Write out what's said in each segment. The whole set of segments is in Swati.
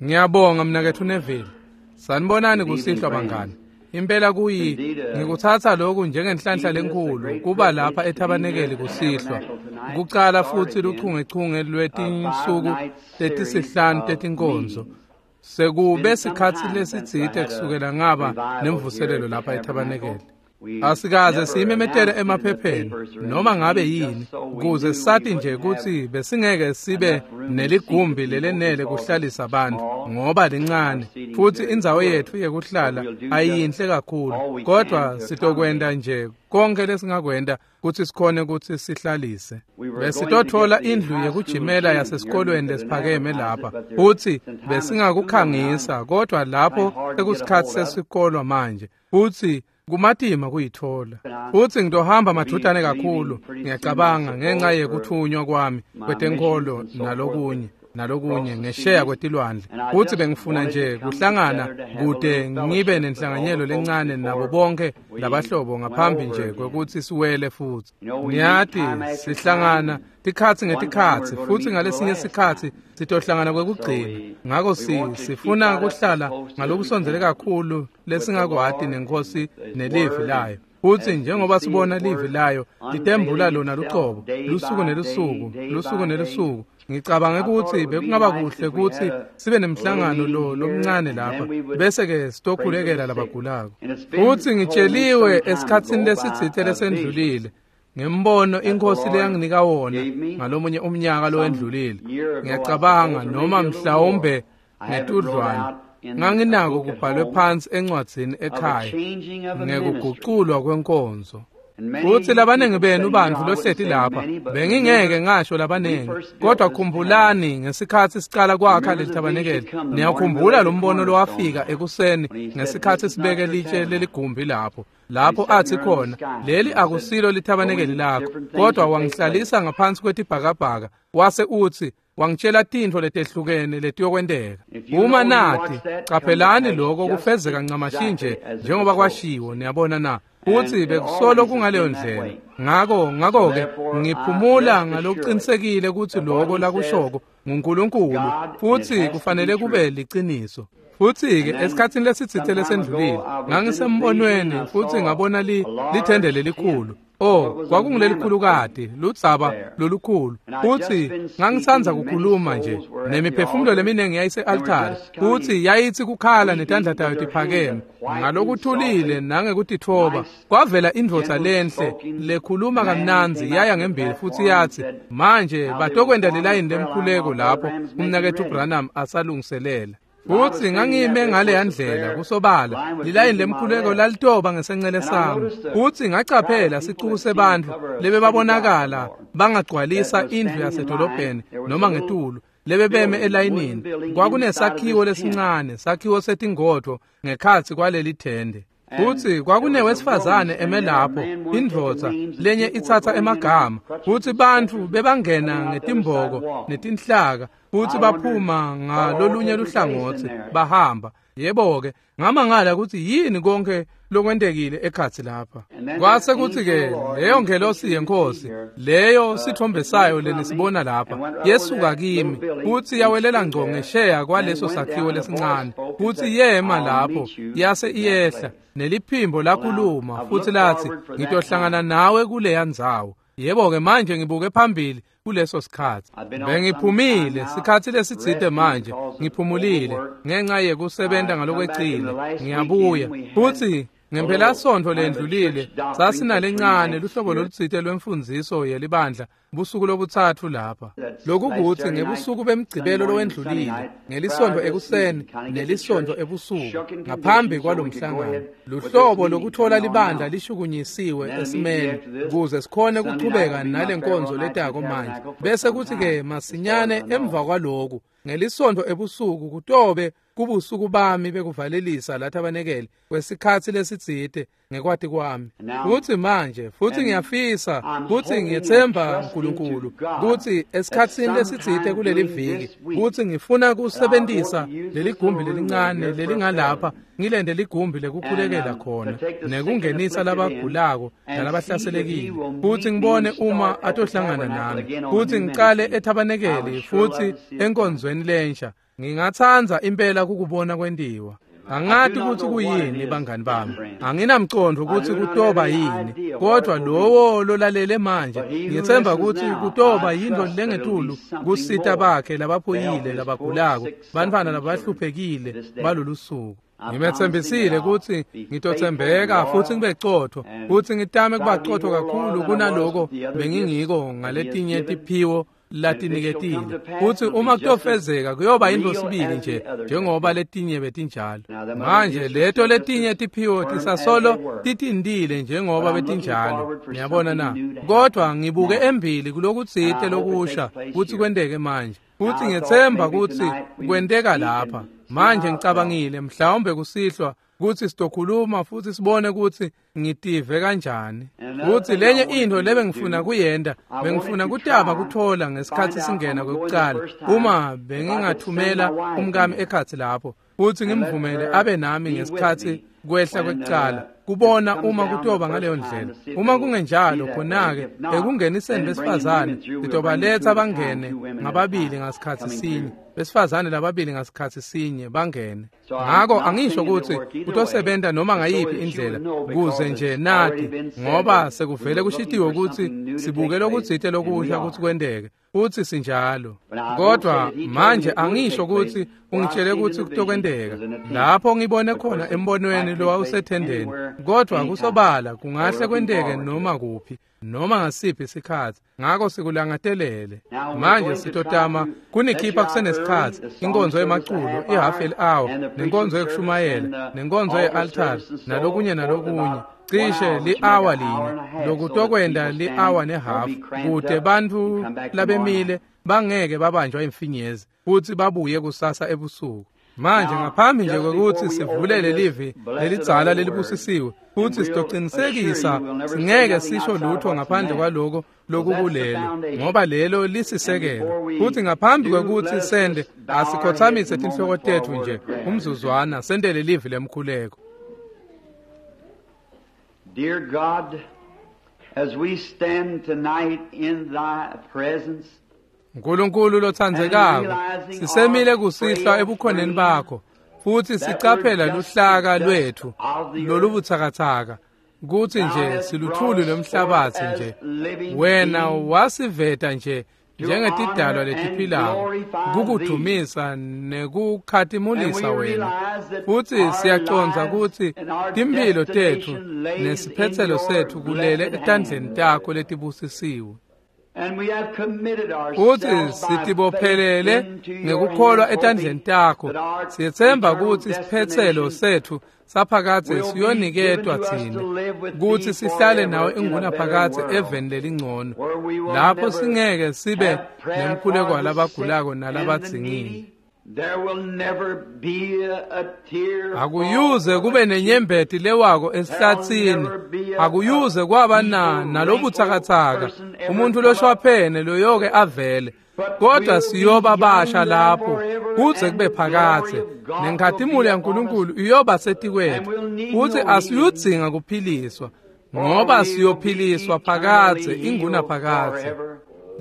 Ngiyabonga mnaketfu Neville. Sanibonani kusihlwa bangani. Impela kuyi ngikutsatsa lokhu njengenhlanhla lenkulu kuba lapha ethabanekeli kusihlwa. Kucala futsi luchungechunge lwetinsuku letisihlanu tetinkonzo. Sekube sikhatsi lesitsite kusukela ngaba nemvuselelo lapha ethabanekeli. Asikaze siyimemetele emaphepheni noma ngabe yini kuze sati nje kutsi besingeke sibe neligumbi lelenele kuhlalisa abantu ngoba lincane futsi indzawo yetfu yekuhlala ayiyinhle kakhulu, kodwa sitokwenta nje konke lesingakwenta kutsi sikhone kutsi sihlalise. Besitotfola indlu yekujimela yasesikolweni lesiphakeme lapha futsi besingakukhangisa, kodwa lapho sekusikhatsi sesikolwa manje futsi kumatima kuyitfola. Futsi ngitohamba madvutane kakhulu, ngiyacabanga, ngenxa yekuthunywa kwami kwetenkholo nalokunye ngesheya kwetilwandle. Futsi bengifuna nje kuhlangana kude ngibe nenhlanganyelo lencane nabo bonke labahlobo ngaphambi nje kwekutsi siwele futsi. Niyati, sihlangana tikhatsi ngetikhatsi futsi ngalesinye sikhatsi sitohlangana kwekugcina. Ngako sifuna kuhlala ngalokusondzele kakhulu lesingakwati nenkosi nelivi layo. Futsi njengoba sibona livi layo litembula lona lucobo lusuku nelusuku, lusuku nelusuku, ngicabanga ukuthi bekungaba kuhle kutsi sibe nemhlangano lo lomncane lapha bese ke sitokhulekela labagulako. Futsi ngitsheliwe esikhatsini lesitsite lesendlulile ngembono inkosi leyanginika wona ngalomunye umnyaka lowendlulile. Ngiyacabanga noma mhlawumbe ngetudlwane nganginako kubhalwe phansi encwadzini ekhaya ngekuguculwa kwenkonzo. Futsi labaningi benu bantfu lohleti lapha, bengingeke ngasho labaningi, kodwa khumbulani ngesikhatsi sicala kwakha leli thabanekeli, niyakhumbula lo mbono lowafika ekuseni ngesikhatsi sibeke litshe leligumbi lapho, lapho athi khona, leli akusilo lithabanekeli lakho, kodwa wangihlalisa ngaphansi kwetibhakabhaka, wase utsi, wangitshela tintfo letehlukene letiyokwenteka. Uma nati, caphelani lokho kufezeka ncamashi nje njengoba kwashiwo, niyabona na? Futsi bekusolo kungaleyo ndlela. Ngako-ke ngiphumula ngalokuqinisekile kutsi lokho lakushoko nguNkulunkulu futsi kufanele kube liciniso. Futsi-ke esikhatsini lesitsite lesendlulile ngangisembonweni futsi ngabona lithende lelikhulu. Oh, kwakungulelikhulukati, ludzaba lolukhulu. Futsi ngangisandza kukhuluma nje nemiphefumulo leminingi yayise-altari, futsi yayitsi kukhala netandla tayo tiphakeme ngalokuthulile nangekutitfoba. Kwavela indvodza lenhle lekhuluma kamnandzi yaya ngembili futsi yatsi, manje batokwenta lilayini lemkhuleko lapho umnaketfu Branham asalungiselela. Futsi ngangime ngaleya ndlela kusobala, lilayini lemkhuleko lalitoba ngesencele sami. Futsi ngacaphela sicuku sebantfu lebebabonakala bangagcwalisa indlu yasedolobheni noma ngetulu, lebebeme elayinini. Kwakunesakhiwo lesincane, sakhiwo setingodvo ngekhatsi kwaleli thende. Futsi kwakunewesifazane eme lapho, indvodza lenye itsatsa emagama, futsi bantfu bebangena ngetimboko netinhlaka, futsi baphuma ngalolunye luhlangotsi bahamba. Yebo-ke, ngamangala kutsi yini konke lokwentekile ekhatsi lapha. Kwase kutsi-ke leyo ngelosi yenkosi, leyo sithombe sayo lenisibona lapha, yesuka kimi, futsi yawelela ngco ngesheya kwaleso sakhiwo lesincane, futsi yema lapho, yase iyehla, neliphimbo lakhuluma, futsi latsi, ngitohlangana nawe kuleya ndzawo. Yebo-ke, manje ngibuke phambili kuleso sikhatsi. Bengiphumile sikhatsi lesitsite manje, ngiphumulile ngenxa yekusebenta ngalokwecile. Ngiyabuya futsi ngempelasontfo lendlulile sasinalencane luhlobo lolutsite lwemfundziso yelibandla busuku lobutsatfu lapha. Lokukuthi ngebusuku bemgcibelo lowendlulile, ngelisontfo ekuseni nelisontfo ebusuku ngaphambi kwalomhlangano, luhlobo lokutfola libandla lishukunyisiwe esimeni kuze sikhone kuchubeka nalenkonzo letako manje. Bese kuthi-ke masinyane emva kwaloku ngelisontfo ebusuku kutobe kubusuku bami bekuvalelisa lathabanekeli kwesikhatsi lesitsite ngekwati kwami. Futsi manje, futsi ngiyafisa kutsi ngiyetsemba uNkulunkulu kutsi esikhatsini lesitsite kuleli viki kutsi ngifuna kusebentisa leligumbi lelincane lelingalapha, ngilende ligumbi lekukhulekela khona nekungenisa labagulako nalabahlaselekile, futsi ngibone uma atohlangana nami, futsi ngicale ethabanekeli futsi enkonzweni lensha. Ngingatsandza impela kukubona kwentiwa. Angati kutsi kuyini bangani bami. Anginamcondvo kutsi kutoba yini, kodwa lowo lolalele manje ngitsemba kutsi kutoba yintfo lengetulu kusita bakhe labaphuyile, labagulako, bantfwana labahluphekile balolu suku. Ngimetsembisile kutsi ngitotsembeka futsi ngibe cotfo, kutsi ngitame kuba cotfo kakhulu kunaloko bengingiko ngaletinye tiphiwo latiniketile. Futsi uma kutofezeka kuyoba yintfo sibili nje njengoba letinye betinjalo. Manje leto letinye tiphiwo tisasolo titindile njengoba betinjalo. Niyabona na? Kodwa ngibuke embili kulokutsite lokusha kutsi kwenteke manje. Futsi ngiyetsemba kutsi kwenteka lapha. Manje ngicabangile mhlawumbe kusihlwa kutsi sitokhuluma futsi sibone kutsi ngitive kanjani. Futsi lenye intfo lebengifuna kuyenta, bengifuna kutama kuthola ngesikhatsi singena kwekucala, uma bengingathumela umkami ekhatsi lapho futsi ngimvumele abe nami ngesikhatsi kwehla kwekucala, kubona uma kutoba ngaleyo ndlela. Uma kungenjalo, khona-ke ekungeniseni besifazane sitobaletsa bangene ngababili ngasikhatsi sinye, besifazane lababili ngasikhatsi sinye bangene. Ngako angisho kutsi kutosebenta noma ngayiphi indlela, kuze nje nati, ngoba sekuvele kushitiwe kutsi sibuke lokutsite lokusha kutsi kwenteke, futsi sinjalo. Kodwa manje angisho kutsi ungitshele kutsi kutokwenteka lapho ngibone khona embonweni lowawusethendeni, kodwa kusobala kungahle kwenteke noma kuphi, noma ngasiphi isikhatsi. Ngako sikulangatelele. Manje sitotama kunikhipha kusenesikhatsi, inkonzo yemaculo i-half an hour, nenkonzo yekushumayela, nenkonzo ye-altari, nalokunye nalokunye, cishe li-hour linye, lokutokwenta li-hour nehafu, kute bantfu labemile bangeke babanjwa imfinyezi futsi babuye kusasa ebusuku. Manje ngaphambi nje kwekutsi sivulele livi lelidzala lelibusisiwe, futsi sitocinisekisa singeke sisho lutho ngaphandle kwaloko lokukulelo, ngoba lelo lisisekelo. Futsi ngaphambi kwekutsi sende, asikhotsamise tinhloko tetfu nje umzuzwana, sentele livi lemkhuleko. Dear God, as we stand tonight in thy presence, Nkulunkulu lotsandzekako, sisemile kusihlwa ebukhoneni bakho, futsi sicaphela luhlaka lwetfu lolubutsakatsaka, kutsi nje siluthuli lwemhlabatsi nje. Wena wasiveta nje njengetidalwa letiphilako kukudumisa nekukhatimulisa wena. Futsi siyacondza kutsi timphilo tetfu nesiphetselo setfu kulele etandleni takho letibusisiwe. Futsi sitibophelele ngekukholwa etandleni takho. Siyetsemba kutsi isiphetselo setfu saphakadze siyoniketwa tsine, kutsi sihlale nawe ingunaphakadze eveni lelingcono, lapho singeke sibe nemkhuleko walabagulako nalabadzingile. Akuyuze kube nenyembeti lewako esihlatsini, akuyuze kwaba nalobutsakatsaka, umuntu loshwaphene loyoke avele, kodwa siyoba basha lapho kuze kube phakadze, nenkhatimulo yaNkulunkulu iyoba setikwetfu, futsi asiyudzinga kuphiliswa, ngoba siyophiliswa phakadze ingunaphakadze.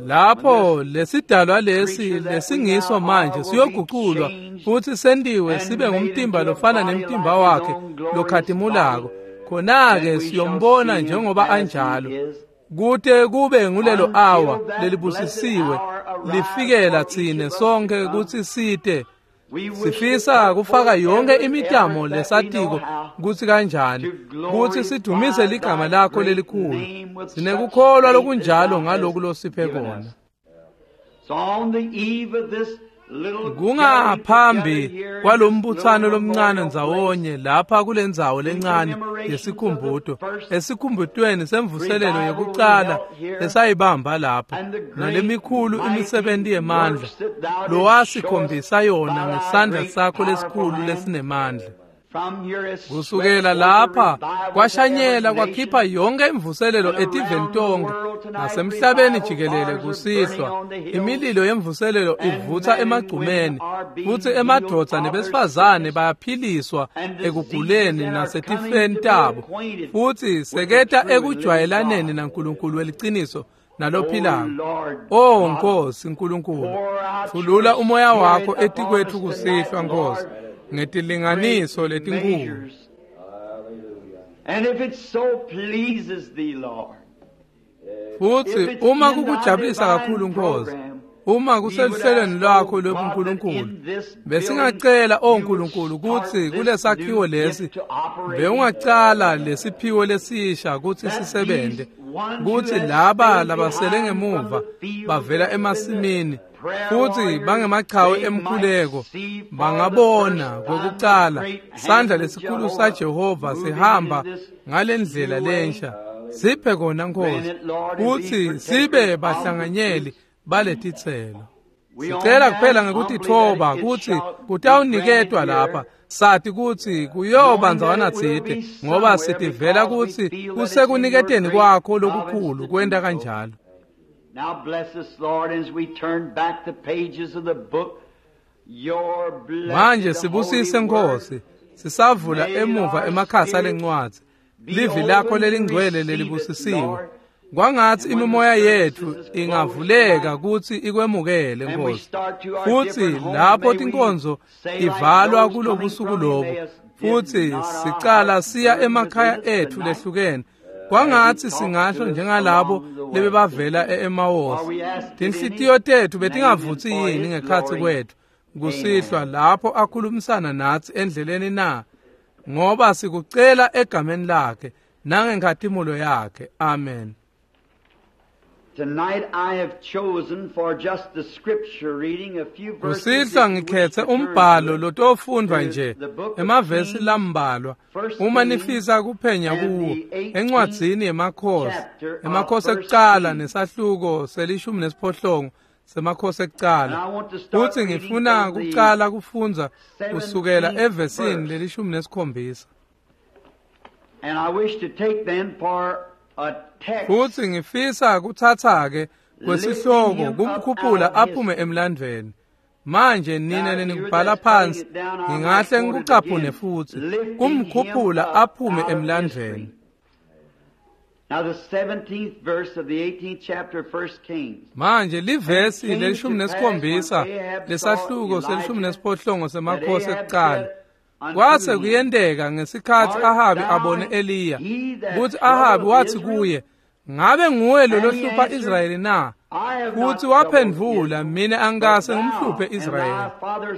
Lapho lesidalwa lesi lesingiso manje siyoguculwa futsi sentiwe sibe ngumtimba lofana nemtimba wakhe lokhatimulako, khona-ke siyombona njengoba anjalo, kute kube ngulelo awa lelibusisiwe lifikela tsine sonke kutsi site. Sifisa kufaka yonke imitamo lesatiko kutsi kanjani, kutsi sidumise ligama lakho lelikhulu. Sinekukholwa lokunjalo ngaloku losiphe kona. Kungaphambi kwalombutsano lomncane ndzawonye lapha kulendzawo lencane yesikhumbuto, esikhumbutweni semvuselelo yekucala lesayibamba lapha, nalemikhulu imisebenti yemandla lowasikhombisa yona ngesandla sakho lesikhulu lesinemandla. Kusukela lapha kwashanyela kwakhipha yonke imvuselelo etiveni tonke nasemhlabeni jikelele kusihlwa. Imililo yemvuselelo ivutsa emagcumeni, futsi emadvodza nebesifazane bayaphiliswa ekuguleni nasetifeni tabo, futsi seketa ekujwayelaneni naNkulunkulu weliciniso nalophilako. O Nkosi Nkulunkulu, thulula umoya wakho etikwetfu kusihlwa Nkosi ngetilinganiso letinkulu. And if it so pleases thee, Lord, Futsi uma kukujabulisa kakhulu Nkosi, uma kuseluhlelweni lwakho lwebuNkulunkulu, besingacela o Nkulunkulu kutsi kulesakhiwo lesi bewungacala lesiphiwo lesisha kutsi sisebente, kutsi laba labasele ngemuva bavela emasimini futsi bangemachawe emkhuleko bangabona kwekucala sandla lesikhulu saJehova sihamba ngalendlela lensha. Siphe kona Nkosi kutsi sibe bahlanganyeli baletitselo. Sicela kuphela ngekutitfoba kutsi kutawuniketwa lapha, sati kutsi kuyoba ndzawana tsite, ngoba sitivela kutsi kusekuniketeni kwakho lokukhulu kwenta kanjalo. Now bless us, Lord, as we turn back the pages of the book. Your blessed Manje sibusise holy Nkosi, word sisavula emuva emakhasi alencwadzi, livi lakho lelingcwele lelibusisiwe. Kwangatsi imimoya yetfu ingavuleka kutsi ikwemukele And we Nkosi. start to our Futsi different homes, lapho may we tinkonzo say like tivalwa those coming kulobusuku from lobu, Emmaus, did futsi not our sicala hearts siya burn emakhaya within us etfu tonight? lehlukene. Kwangatsi singasho njengalabo lebebavela e-Emawusi, tinhlitiyo tetfu betingavutsi yini ngekhatsi kwetfu kusihlwa lapho akhulumisana natsi endleleni na? Ngoba sikucela egameni lakhe nangenkhatimulo yakhe. Amen. Tonight I have chosen for just the scripture reading a few verses. Kusihlwa if you wish ngikhethe to turn umbhalo to it. lotofundvwa nje emavesi lambalwa uma nifisa kuphenya kuwo encwadzini yemakhosi, emakhosi ekucala nesahluko se-18 semakhosi ekucala. Futsi ngifuna kucala kufundza kusukela evesini le-17. And I wish to take then for a text Futsi ngifisa kutsatsa-ke kwesihloko kumkhuphula aphume emlandvweni. Manje nina lenikubhala phansi, ngingahle ngikucaphune futsi, kumkhuphula aphume emlandvweni. Now the 17th verse of the 18th chapter of 1 Kings. Manje livesi le-17 lesahluko se-18 semakhosi ekucala. Kwase kuyenteka ngesikhatsi Ahabi abone Eliya, kutsi Ahabi watsi kuye, ngabe nguwe lo lohlupha Israyeli na? Futsi waphendvula, mina angikase ngimhluphe Israyeli,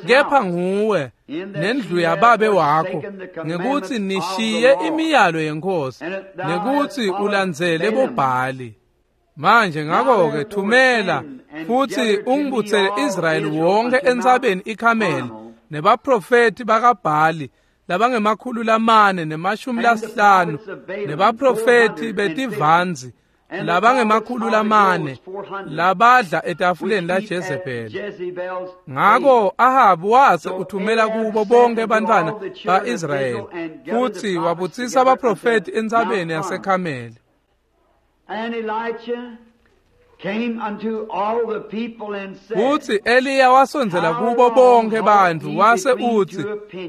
kepha nguwe nendlu yababe wakho, ngekutsi nishiye imiyalo yeNkhosi, nekutsi ulandzele boBhali. Manje ngakho-ke thumela futsi ungibutsele Israyeli wonke entsabeni iKhameli, nebaprofethi bakaBhali labange-450, nebaprofethi betivanzi labange-400 labadla etafuleni laJezebeli. Ngako Ahabi wase uthumela kubo bonke bantfwana ba-Israyeli futsi wabutsisa abaprofethi entsabeni yaseKhameli. And Elijah came unto all the people and said, Futsi Eliya wasondzela kubo bonke bantfu wase utsi,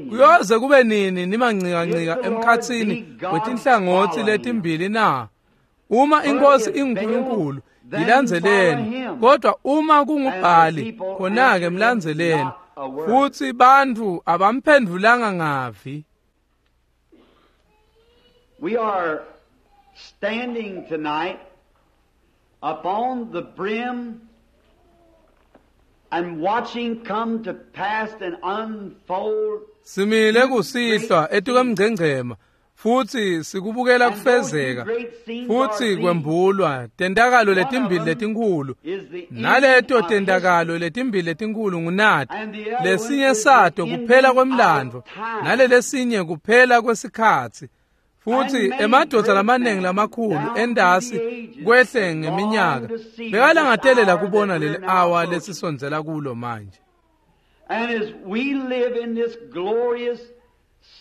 kuyoze kube nini nimanqikanqika emkhatsini wetinhlangotsi letimbili na? Uma iNkhosi inguNkulunkulu, yilandzeleni, kodwa uma kunguBhali, khona-ke mlandzeleni. Futsi bantfu abamphendvulanga ngavi. We are standing tonight upon the brim and watching come to pass and unfold. Simile kusihlwa etukwemngcengcema futsi sikubukela kufezeka futsi kwembulwa tentakalo letimbili letinkhulu, naleto tentakalo letimbili letinkhulu ngunati, lesinye sato kuphela kwemlandvo nalelesinye kuphela kwesikhatsi. Futsi emadvodza lamaningi lamakhulu endasi kwehle ngeminyaka bekalangatelela kubona leli awa lesisondzela kulo manje. And as we live in this glorious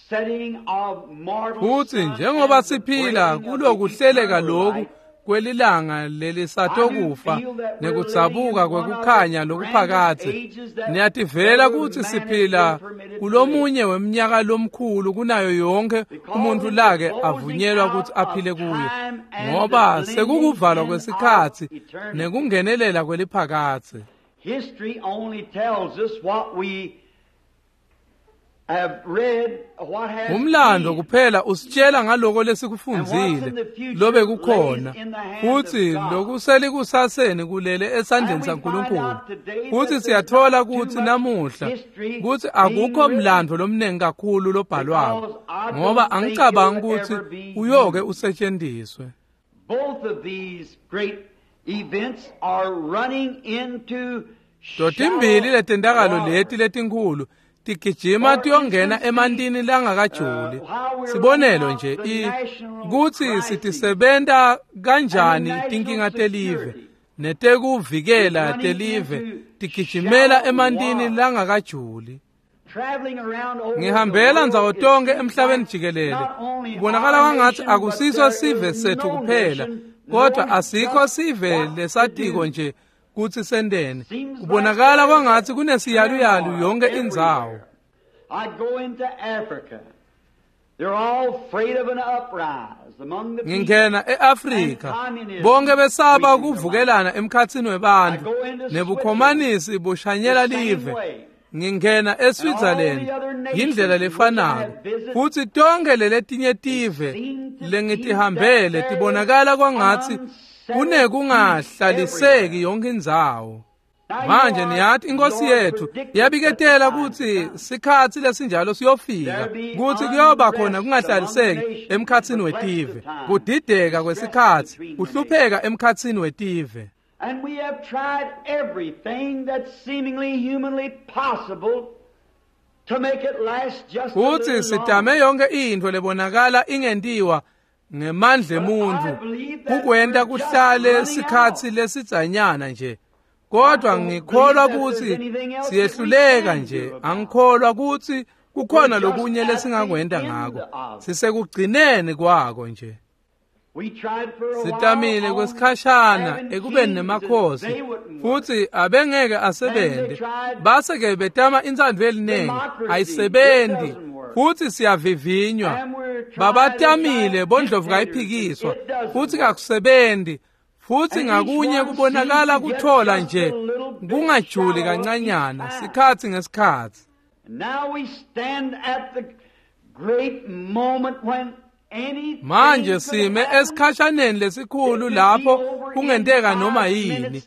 setting of mortal Futsi njengoba siphila kulokuhleleka loku kwelilanga lelisatokufa nekudzabuka kwekukhanya lokuphakadze. Niyativela kutsi siphila kulomunye weminyaka lomkhulu kunayo yonke umuntu lake avunyelwa kutsi aphile kuyo, ngoba sekukuvalwa kwesikhatsi nekungenelela kweliphakadze. History only tells us what we have read, what has Umlando been. kuphela usitshela ngaloko lesikufundzile lobe kukhona, futsi lokuselikusaseni kulele esandleni saNkulunkulu. Futsi siyathola kutsi namuhla kutsi akukho mlando lomningi kakhulu lobhalwako, ngoba angicabangi kutsi uyoke usetshenziswe. Both of these great events are running into Totimbili shallow letentakalo water. leti letinkhulu tigijima tiyongena emantini langakajuli. Sibonelo nje kutsi sitisebenta kanjani tinkinga telive netekuvikela telive tigijimela emantini langakajuli. Traveling around over Ngihambela the world, ndzawo it tonke seems emhlabeni like jikelele. not only Kubonakala our kwangathi nation, but akusiso there sive is sethu no kuphela, nation kodwa knowing asikho just sive what to lesatiko do. nje kutsi senteni. Seems like Kubonakala there is kwangathi a kunesiyaluyalu turmoil yonke indzawo. everywhere. I go into Africa. They're all afraid of an uprise among the people. Ngingena eAfrika, bonke besaba kuvukelana emkhatsini webantfu nebukhomanisi bushanyela The same live. way. Ngingena eSwitzerland yindlela lefanako, futsi tonke leletinye tive lengitihambele tibonakala kwangatsi kunekungahlaliseki yonke indzawo. Now, you Manje know, niyati inkosi Lord yethu predicted yabiketela that the kutsi time sikhatsi lesinjalo siyofika, kutsi kuyoba khona kungahlaliseki emkhatsini wetive, kudideka kwesikhatsi, kuhlupheka emkhatsini wetive. And we have tried everything that's seemingly humanly possible to make it last just a Futsi little sitame longer. yonke intfo lebonakala ingentiwa ngemandla emuntfu kukwenta kuhlale sikhatsi lesidzanyana nje. Kodwa ngikholwa kutsi siyehluleka nje, angikholwa kutsi kukhona lokunye lesingakwenta ngako. Sisekugcineni kwako nje. We tried for a while Sitamile on kwesikhashana having ekubeni kings and nemakhosi, they wouldn't work. futsi abengeke asebente. Base-ke betama intsandvo yelinengi, ayisebenzi, futsi siyavivinywa. And we're trying Babatamile to bondlovu try kayiphikiswa, dictators. It doesn't futsi work. kakusebenzi. Futsi And each ngakunye one kubonakala seems to get kuthola just nje a little bit kungajuli shallower kancanyana each time. sikhatsi ngesikhatsi. Now we stand at the great moment when anything Manje could sime happen. esikhashaneni lesikhulu lapho kungenteka noma yini.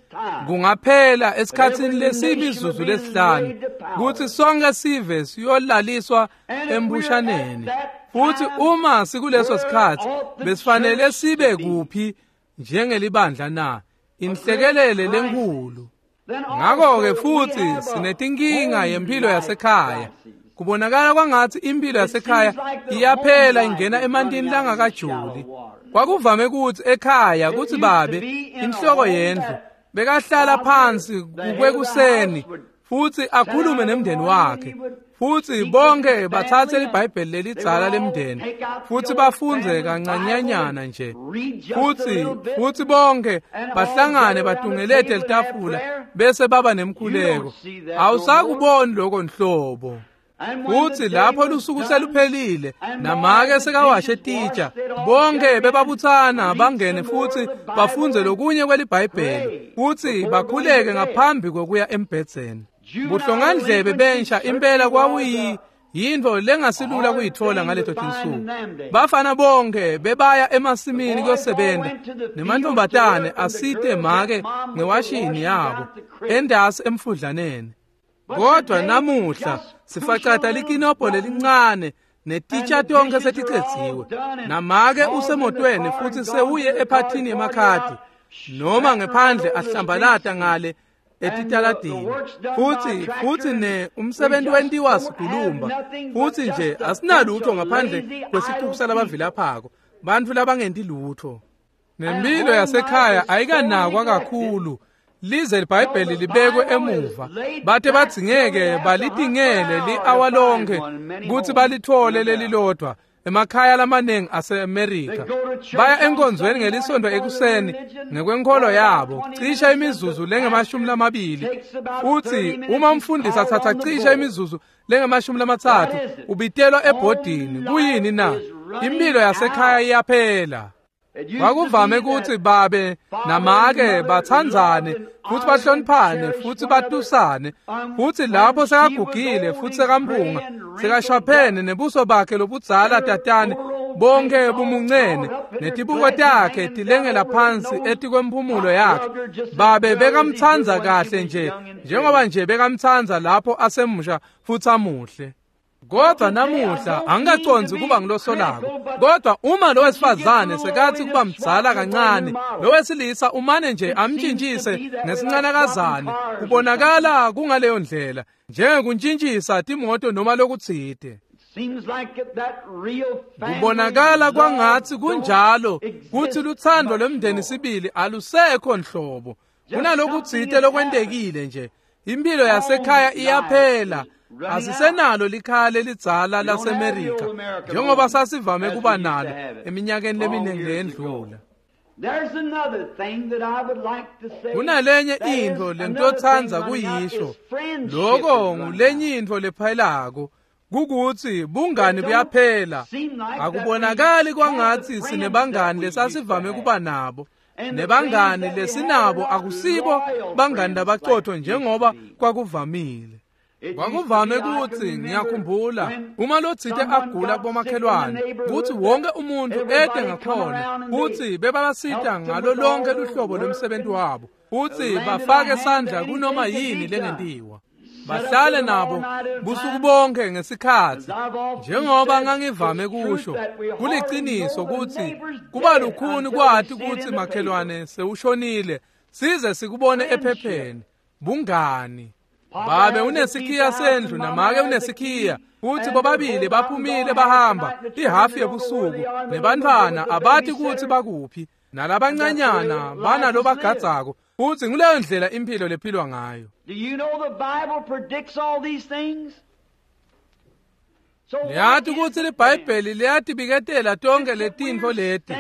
Kungaphela esikhatsini lesimizuzu lesihlanu kutsi sonke sive siyolaliswa embushaneni. Futsi uma sikuleso sikhatsi besifanele sibe kuphi njengelibandla na? Inhlekelele lenkhulu. Then Ngakho-ke also we futhi have a sinetinkinga home yempilo life yasekhaya. crisis. Kubonakala kwangathi impilo yasekhaya iyaphela ingena emantini langakajuli. Kwakuvame kutsi ekhaya kutsi babe inhloko yendlu bekahlala phansi kukwekuseni futsi akhulume nemndeni wakhe. Futsi bonke batsatse liBhayibheli lelidzala lemndeni futsi bafundze kancanyanyana nje. Futsi bonke bahlangane batungelete litafula bese baba nemkhuleko. Awusakuboni lokho nhlobo. And when Futsi the day lapho was lusuku done, seluphelile and namake all the sekawashe dishes titsha, washed, they'd all bonke gather in, bebabutsana read bangene some more futsi of the Bible bafundze and lokunye kweliBhayibheli pray futsi before going bakhuleke to bed. ngaphambi kokuya embhedzeni. Juvenile Buhlongandlebe delinquency bensha impela certainly was kwakuyi a yintfo lengasilula hard kuyitfola thing ngaleto to find tinsuku. in them days. Bafana bonke bebaya emasimini The boys all kuyosebenta went to the fields to nemantombazane work and the asite girls make helped mom with the ngewashini washing yabo out the crib. endasi emfudlaneni. But Kodwa today, namuhla just push a sifacata little likinobho button lelincane netitsha and the tonke dishes are all seticedziwe. done and Namake mom's in the usemotweni car futhi and gone sewuye to the ephathini car party yemakhadi out, noma smacking ngephandle around over the ahlambalata streets ngale and the etitaladini. work's done by a Futsi tractor futsi and ne we umsebenzi just wentiwa don't have sigulumba. nothing but Futsi nje just a bunch asinalutho of ngaphandle lazy kwesicuku idle people. salabavilaphako, bantfu labangenti lutho. And Nempilo home life yasekhaya is so ayikanakwa neglected kakhulu lize till liBhayibheli the libekwe Bible is emuva. laid Bate back till badzingeke they have to hunt for an balitingele hour to li-awa find lonke one in many kutsi homes, balithole no doubt. lelilodwa emakhaya lamaningi ase-Amerika. Baya enkonzweni ngelisonto ekuseni ngekwenkolo yabo, cishe imizuzu lengama-20, futhi uma umfundisi athatha cishe imizuzu lengama-30 ubitelwa ebhodini. Kuyini na? Impilo yasekhaya iyaphela. Kwakuvame ukuthi babe namake bathandzane futhi bahloniphane futhi batusane, futhi lapho sekagugile futhi sekampunga sekashaphene nebuso bakhe lobudzala tatane bonke bumuncene netibuko takhe tilengela phansi etikwemphumulo yakhe, babe bekamtsandza kahle nje njengoba nje bekamtsandza lapho asemusha futhi amuhle. Kodwa namuhla angikacondzi kuba ngilosolako, kodwa uma lo wesifazane sekathi kuba mdzala kancane, lo wesilisa umane nje amntshintshise ngesincanakazane, kubonakala kungaleyo ndlela njengekuntshintshisa timoto noma lokutsite. Kubonakala kwangathi kunjalo kuthi luthando lwemndeni sibili alusekho nhlobo. Kunalokutsite lokwentekile nje. Impilo yasekhaya iyaphela. Asisenalo likhaya lelidzala laseMerika njengoba sasivame kuba nalo eminyakeni leminingi leyendlula. Kunalenye intfo lengitotsandza kuyisho, loko ngulenye intfo lephelako, kukuthi bungani buyaphela. Akubonakali kwangathi sinebangani lesasivame kuba nabo, nebangani lesinabo akusibo bangani labacotho njengoba kwakuvamile. Kwakuvame ukuthi ngiyakhumbula uma lotsite agula kubomakhelwane kuthi wonke umuntu ede ngakhona futhi bebabasita ngalo lonke luhlobo lwemsebenzi wabo futhi bafake sandla kunoma yini lengentiwa, bahlale nabo busuku bonke ngesikhathi. Njengoba ngangivame kusho, kuliciniso ukuthi kuba lukhuni kwati ukuthi makhelwane sewushonile size sikubone ephepheni. Bungani. Babe unesikhiya sendlu namake unesikhiya, futhi bobabili baphumile bahamba ihafu yebusuku, nebantwana abathi kuthi bakuphi, nalabancanyana banalo bagadzako, futhi nguleyo ndlela impilo lephilwa ngayo. Niyati ukuthi liBhayibheli liyatibiketela tonke letintfo leti.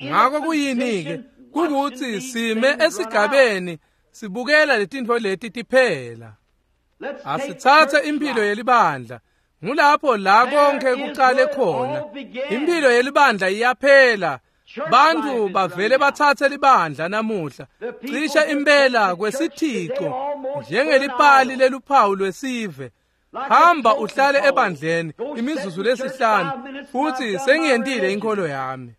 Ngako kuyini-ke? Kukuthi sime esigabeni sibukela letintfo leti tiphela. Asitsatse impilo yelibandla. Ngulapho la konke kuqale khona. Impilo yelibandla iyaphela. Bantu bavele batsatse libandla namuhla cishe impela kwesithixo njengelipali leluphawu lwesive. Hamba uhlale ebandleni imizuzu lesihlanu futhi sengiyentile inkolo yami.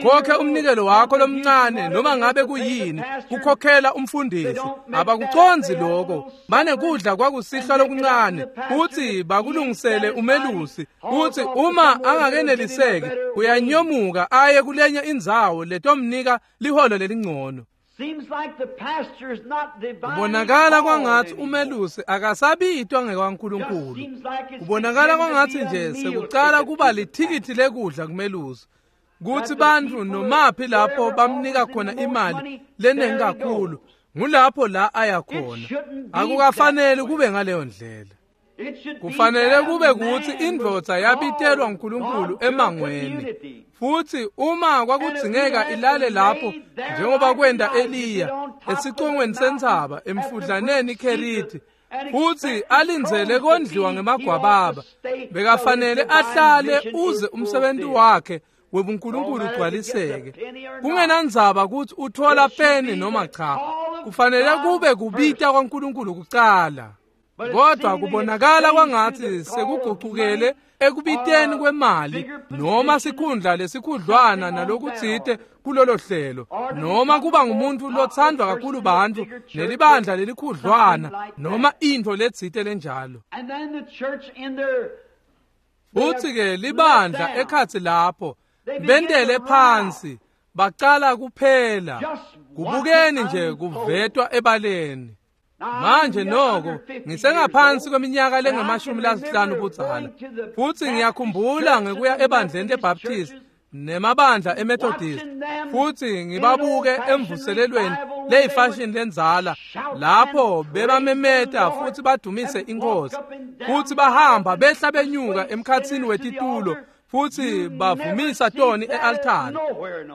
Ukhokhe umnikelo wakho lomncane noma ngabe kuyini kukhokhela umfundisi. Abakuconzi lokho, mane kudla kwakusihlwa lokuncane futhi bakulungisele umelusi, futhi uma angakeneliseki uyanyomuka aye kulenye indzawo letomnika liholo lelingcono. Kubonakala kwangathi umelusi akasabitwa ngekwaNkulunkulu. Kubonakala kwangathi nje sekucala kuba lithikithi lekudla kumelusi, kuthi bantu nomaphi lapho bamnika khona imali lenengi kakhulu ngulapho la aya khona. Akukafanele kube ngaleyo ndlela. Kufanele kube kuthi indvodza yabitelwa nguNkulunkulu emangweni, futhi uma kwakudzingeka ilale lapho njengoba kwenda Eliya esicongweni sentsaba emfudlaneni Keriti, futhi alindzele kondliwa ngemagwababa, bekafanele ahlale uze umsebenzi wakhe webuNkulunkulu ugcwaliseke. Kungenandzaba ukuthi uthola peni noma cha, kufanele kube kubita kwaNkulunkulu kucala. Kodwa kubonakala kwangathi sekugucukele ekubiteni kwemali noma sikhundla lesikhudlwana nalokutsite kulolo hlelo, noma kuba ngumuntu lothandwa kakhulu bantu nelibandla lelikhudlwana noma intfo letsite lenjalo. Futhi-ke libandla ekhatsi lapho bentele phansi bacala kuphela kubukeni nje kuvetwa ebaleni. Manje noko ngisengaphansi kweminyaka lengama-50 budzala, futhi ngiyakhumbula ngekuya ebandleni leBaptist nemabandla eMethodist, futhi ngibabuke emvuselelweni leyifashion lenzala lapho bebamemeta futhi badumise inkosi, futhi bahamba behla benyuka emkhatsini wetitulo Futsi bavumisa toni e-altari.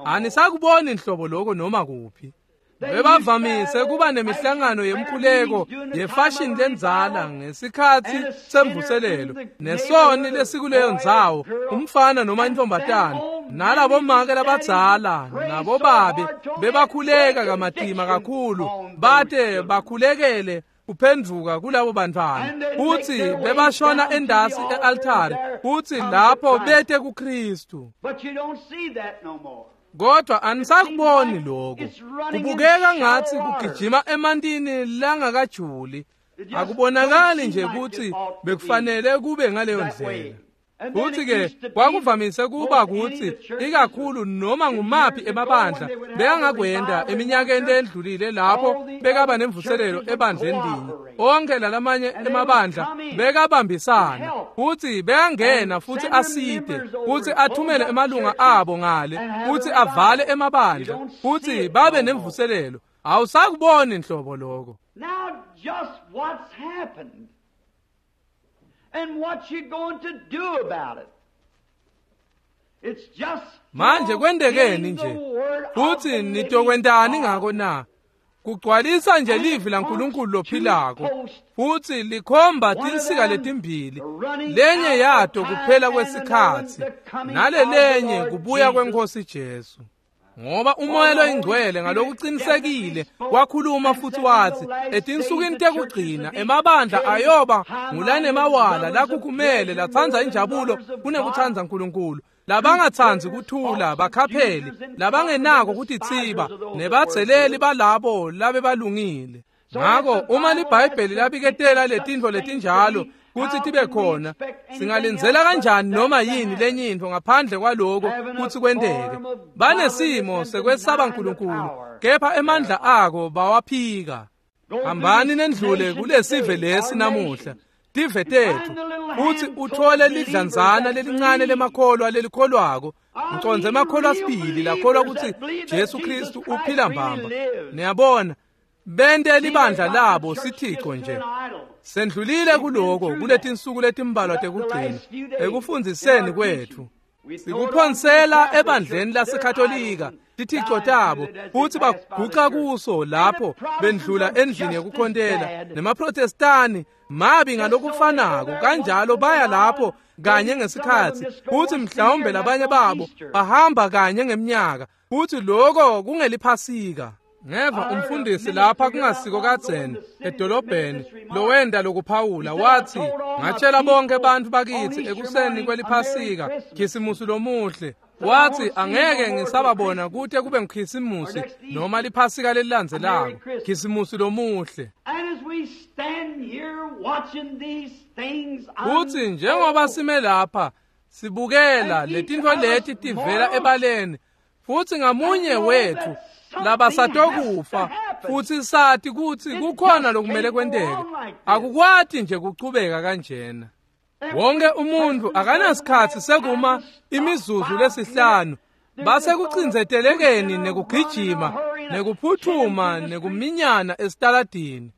Anisakuboni nhlobo lokho noma kuphi. Bebavamise kuba nemihlangano yemkhuleko yefashini lendzala ngesikhatsi semvuselelo nesoni lesikuleyo ndzawo, umfana noma intombatana, nalabomake labadzala nabobabe bebakhuleka kamatima kakhulu bate bakhulekele kuphendvuka kulabo bantwana, futsi bebashona endasi e-altari futsi lapho bete kuKristu. Kodwa anisakuboni lokho. Kubukeka ngathi kugijima emantini langakajuli. Akubonakali nje ukuthi bekufanele kube ngaleyo ndlela. Futhi-ke kwakuvamise kuba kuthi ikakhulu noma ngumaphi emabandla bekangakwenda eminyakeni lendlulile lapho bekaba nemvuselelo ebandleni linye. Onke lalamanye emabandla bekabambisana futhi bekangena futhi aside futhi athumele emalunga abo ngale futhi avale emabandla futhi babe nemvuselelo. Awusakuboni nhlobo lokho. Now just what's happened? And what you going to do about it? It's just manje kwendekeni nje futhi nitokwentani ngako na? Kugcwalisa nje livi laNkulunkulu lophilako futhi likhomba tinsika letimbili, lenye yato kuphela kwesikhatsi nalelenye kubuya kwenkosi Jesu. Ngoba umoya loyingcwele ngalokuqinisekile wakhuluma futhi wathi etinsukwini tekugcina emabandla ayoba ngulanemawala lakhukhumele latsandza injabulo kunekutsandza uNkulunkulu, labangatsandzi kuthula bakhapheli, labangenako kutitsiba nebadzeleli balabo labebalungile. Ngako uma liBhayibheli labiketela letintfo letinjalo kutsi tibe khona, singalindzela kanjani noma yini lenye intfo ngaphandle kwaloko kutsi kwenteke? Banesimo sekwesaba uNkulunkulu, kepha emandla ako bawaphika. Hambani nendlule kulesive lesi namuhla, tive tetfu, futsi uthole lidlanzana lelincane lemakholwa lelikholwako. Ngicondze emakholwa sibili lakholwa kutsi Jesu Kristu uphila mbamba. Niyabona, bente libandla labo sithico nje. Sendlulile kuloko kuletinsuku letimbalwa tekugcina ekufundziseni kwetfu. Sikuphonsela ebandleni laseKatolika tithico tabo futhi baguca kuso lapho bendlula endlini yekukhontela. NemaProtestani mabi ngalokufanako kanjalo, baya lapho kanye ngesikhatsi futhi mhlawumbe labanye babo bahamba kanye ngemnyaka futhi loko kungeliphasika. Ngeva umfundisi lapha kungasiko kadzeni edolobheni lowenda lokuphawula wathi, ngatshela bonke abantu bakithi ekuseni kweliphasika khisimusi lomuhle. Wathi angeke ngisababona kute kube ngikhisimusi noma liphasika lelilandzelako, khisimusi lomuhle. Futhi njengoba sime lapha sibukela letintfo leti tivela ebaleni, futhi ngamunye wethu labasatokufa futhi sathi kutsi kukhona lokumele kwenteke. Akukwati nje kuchubeka kanjena. Wonke umuntu akanasikhatsi sekuma imizuzu lesihlanu base kucindzetelekeni nekugijima nekuphuthuma nekuminyana esitaladini.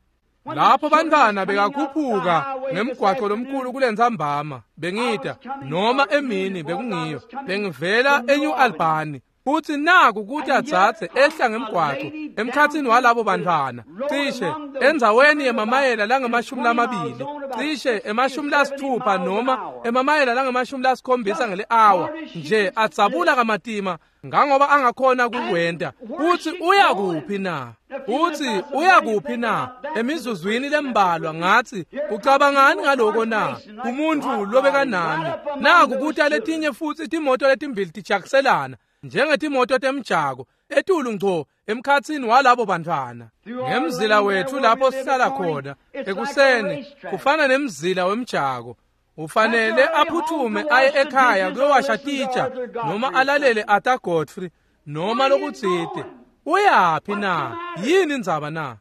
Lapho bantwana bekakhuphuka ngemgwaco lomkhulu kulentsambama bengida noma emini bekungiyo bengivela eNew Albany, futhi naku kuthi adzadze ehla ngemgwaco emkhatsini walabo bantwana cishe endzaweni yemamayela langama-20, cishe ema-60 noma emamayela langama-70 ngeli-awa nje, adzabula kamatima ngangoba angakhona kukwenta. Uthi uya kuphi na? Uthi uya kuphi na? Emizuzwini lembalwa ngathi ucabangani ngaloko na? Umuntu lobekanami naku kuthi letinye futhi timoto letimbili tijakiselana njengetimoto temjako etulu ngco emkhatsini walabo bantwana. Ngemzila wethu lapho sihlala khona ekuseni kufana nemzila wemjako. Ufanele aphuthume aye ekhaya kuyowasha titsha noma alalele Arthur Godfrey noma lokutsite. Uyaphi na? Yini indzaba na?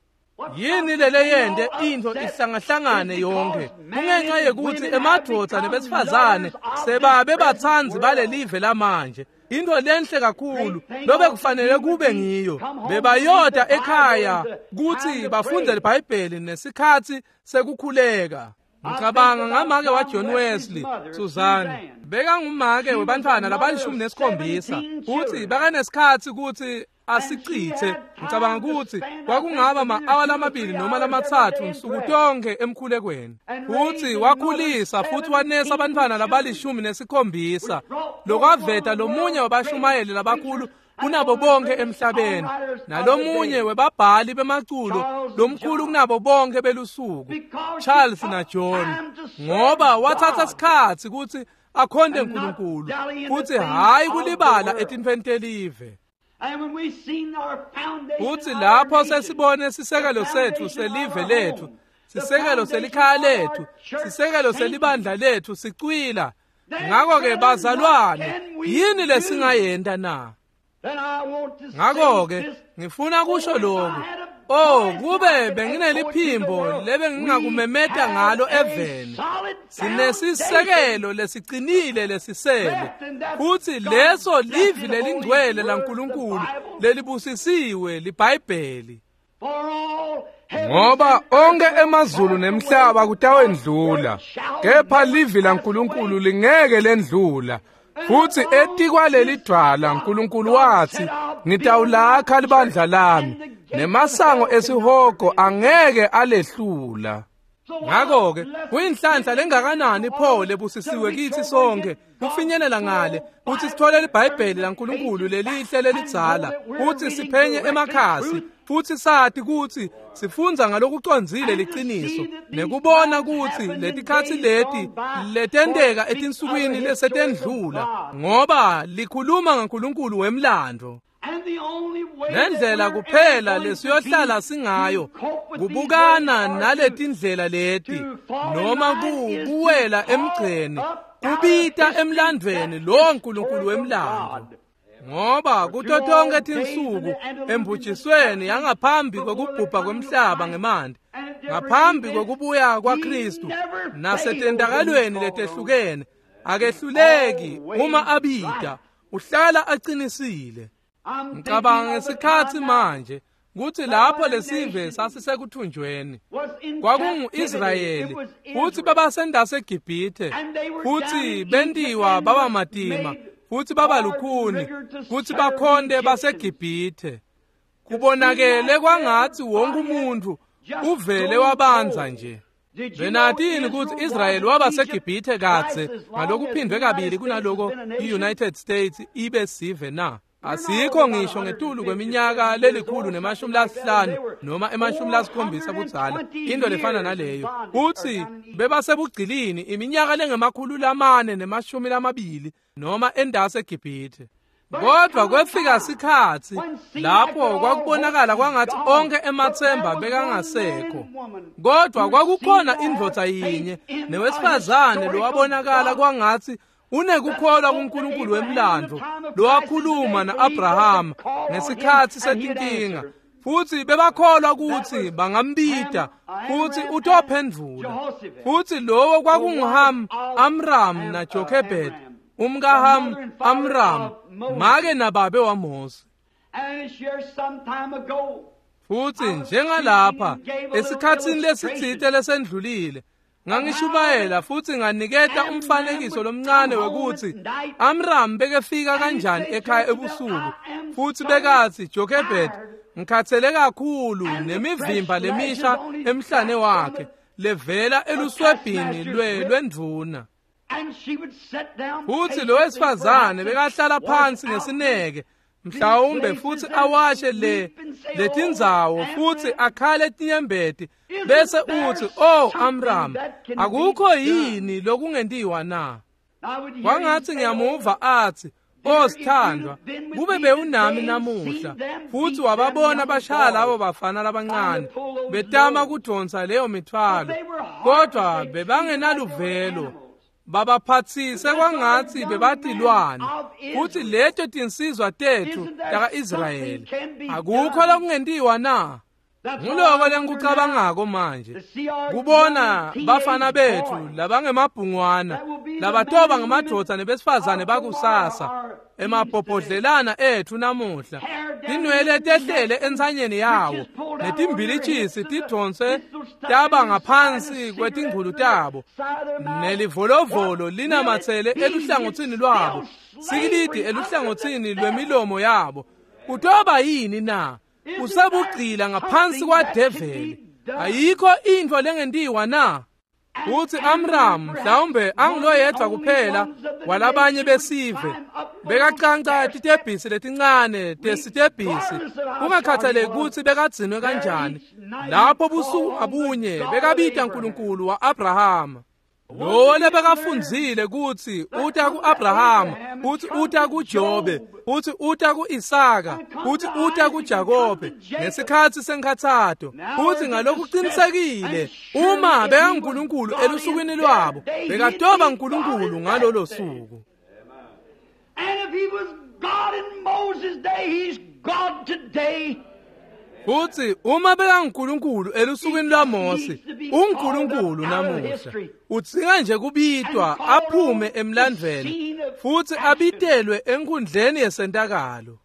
Yini lele yente intfo ihlangahlangane yonke? Kungenxa yekuthi emadvodza nebesifazane sebabe batsandzi balelive lamanje. Into lenhle kakhulu lobe kufanele kube ngiyo bebayota ekhaya kuthi bafunde iBhayibheli nesikhatsi sekukhuleka. Ngicabanga ngamake waJohn Wesley, Susan, bekangumake webantfwana labali-17, futhi bekanesikhatsi kutsi asichithe. Ngicabanga ukuthi kwakungaba ma-awa 2 noma 3 nsuku tonke emkhulekweni. Futhi wakhulisa futhi wanesa abantwana labali-17, lokwaveta lomunye wabashumayeli labakhulu kunabo bonke emhlabeni, nalomunye webabhali bemaculo lomkhulu kunabo bonke belusuku, Charles naJohn, ngoba wathatha isikhatsi kutsi akhonte uNkulunkulu futhi hayi kulibala etintfweni telive. Futhi lapho sesibone sisekelo setfu selive letfu, sisekelo selikhaya letfu, sisekelo selibandla letfu sicwila. Ngakho-ke bazalwane, yini lesingayenta na? Ngakho-ke ngifuna kusho lokhu. Oh, kube bengineliphimbo lebengingakumemeta ngalo eveni. Sinesisekelo lesiqinile lesisele, futhi leso livi lelingcwele laNkulunkulu lelibusisiwe liBhayibheli. Ngoba onke emazulu nemhlaba kutawendlula, kepha livi laNkulunkulu lingeke lendlula. Futhi etikwaleli dwala uNkulunkulu wathi, ngitawulakha libandla lami, nemasango esihogo angeke alehlula. Ngakho-ke kuyinhlanhla lengakanani pho lebusisiwe kithi sonke kufinyelela ngale kutsi sithole liBhayibheli laNkulunkulu lelihle lelidzala, kutsi siphenye emakhasi futhi sati kutsi sifundza ngalokucondzile liciniso, nekubona kutsi letikhatsi leti letenteka etinsukwini lesetendlula, ngoba likhuluma ngaNkulunkulu wemlandvo. Nendlela kuphela lesiyohlala singayo kubukana naletindlela leti, noma kuwela emgceni, kubita emlandvweni lo Nkulunkulu wemlandvo. Ngoba kuto tonke tinsuku embujisweni yangaphambi kwekubhubha kwemhlaba ngemanti, ngaphambi kwekubuya kwaKristu, nasetendakalweni letehlukene, akehluleki uma abita, uhlala aqinisile. Ngicabanga ngesikhatsi manje kutsi lapho lesive sasisekuthunjweni kwakungu-Israyeli, futhi babasendase eGibhithe, futhi bentiwa baba matima futhi baba lukhuni kutsi bakhonte baseGibhithe. Kubonakele kwangatsi wonke umuntu uvele wabanza nje. Benatini kutsi Israyeli waba seGibhithe kadze ngalokuphindwe kabili kunaloko i-United States ibe sive na? Asikho ngisho ngetulu kweminyaka 150 noma 70 budzala, into lefana naleyo. Kutsi bebasebugcilini iminyaka lengama-420 noma endase eGibhithe. Kodwa kwefika sikhatsi lapho kwakubonakala kwangathi onke emathemba bekangasekho. Kodwa kwakukhona indvodza yinye newesifazane lowabonakala kwangathi unekukholwa kuNkulunkulu wemlandvo, lowakhuluma na-Abrahama ngesikhatsi setinkinga, futhi bebakholwa kutsi bangambita futhi utophendvula. Futhi lowo kwakunguHam, Amram naJochebed, umkaHam, Amram, make nababe waMose. Futhi njengalapha esikhatsini lesitsite lesendlulile, ngangishumayela futhi nganiketa umfanekiso lomncane wekutsi Amram bekefika kanjani ekhaya ebusuku, futhi bekathi, Jochebed, ngikhathele kakhulu nemivimba lemisha emhlane wakhe levela eluswebhini lwendvuna. Futhi lo wesifazane bekahlala phansi ngesineke, mhlawumbe futhi awashe letindzawo futhi akhale tinyembeti, bese uthi, oh Amram, akukho yini lokungentiwa na? Kwangathi ngiyamuva athi, oh sithandwa, kube bewunami namuhla, futhi wababona bashaya labo bafana labancane betama kudonsa leyo mithwalo, kodwa bebangenaluvelo, babaphathise kwangathi bebatilwane. Futhi leto tinsizwa tethu taka-Israyeli, akukho lokungentiwa na? Nguloko lengikucabangako manje, kubona bafana bethu labangemabhungwana Labatoba ngamadvodza nebesifazane bakusasa, emabhobhodlelana etfu namuhla, tinwele tehlele entsanyeni yawo, netimbilichisi tidonse taba ngaphansi kwetingulu tabo, nelivolovolo linamatsele eluhlangotsini lwabo, sikilidi eluhlangotsini lwemilomo yabo. Kutoba yini na? Usebugcila ngaphansi kwadeveli. Ayikho intfo lengentiwa na? Uthi Amram mhlawumbe anguloyedwa kuphela walabanye besive bekacanca titebhisi letincane tesitebhisi, kungakhathaleki kutsi bekadzinwe kanjani. Lapho busuku ngabunye bekabita uNkulunkulu wa-Abrahama, lowo lebekafundzile kutsi uta ku-Abrahama, uthi uta kuJobe, uthi uta ku-Isaka, uthi uta kuJakobe ngesikhatsi senkhatsato. Uthi ngalokuqinisekile uma bekaNkulunkulu elusukwini lwabo, bekatoba uNkulunkulu ngalolo suku. And if he was God in Moses' day, he's God today. Futhi uma bekaNkulunkulu elusukwini lwaMose, uNkulunkulu namuhla. Udzinga nje kubitwa aphume emlandvweni futhi abitelwe enkundleni yesentakalo.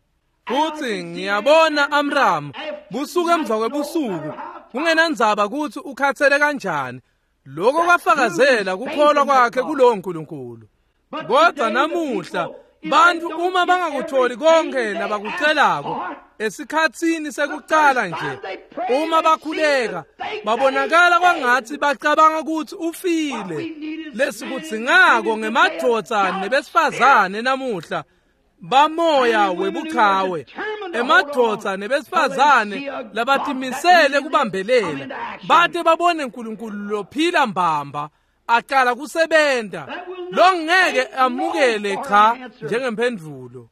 Futhi ngiyabona Amram busuku emva kwebusuku, kungenandzaba kutsi ukhathele kanjani, lokho kwafakazela kukholwa kwakhe kulowo Nkulunkulu. Kodwa namuhla bantu uma bangakutholi konke labakucelako esikhatsini sekucala nje, uma bakhuleka babonakala kwangathi bacabanga ukuthi ufile. Lesikudzingako ngemadvodza nebesifazane namuhla bamoya webuchawe, emadvodza nebesifazane labatimisele kubambelela bate babone uNkulunkulu lophila mbamba aqala kusebenta, longeke amukele cha njengemphendvulo.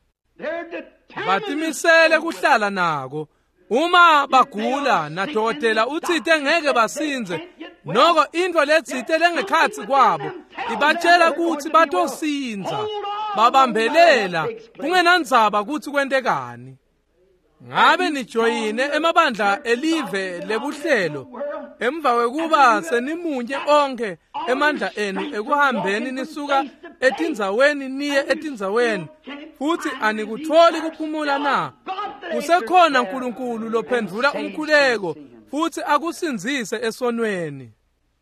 Batimisele kuhlala nako. Uma bagula nadokotela utsite ngeke basinze, noko intfo letsite lengekhatsi kwabo ibatshela kutsi batosinza. Babambelela kungenandzaba kutsi kwentekani. Ngabe nijoyine emabandla elive lebuhlelo emva kwekuba senimunye onke emandla enu ekuhambeni nisuka etindzaweni niye etindzaweni, futhi anikutholi kuphumula na? Kusekhona uNkulunkulu lophendvula umkhuleko futhi akusindzise esonweni.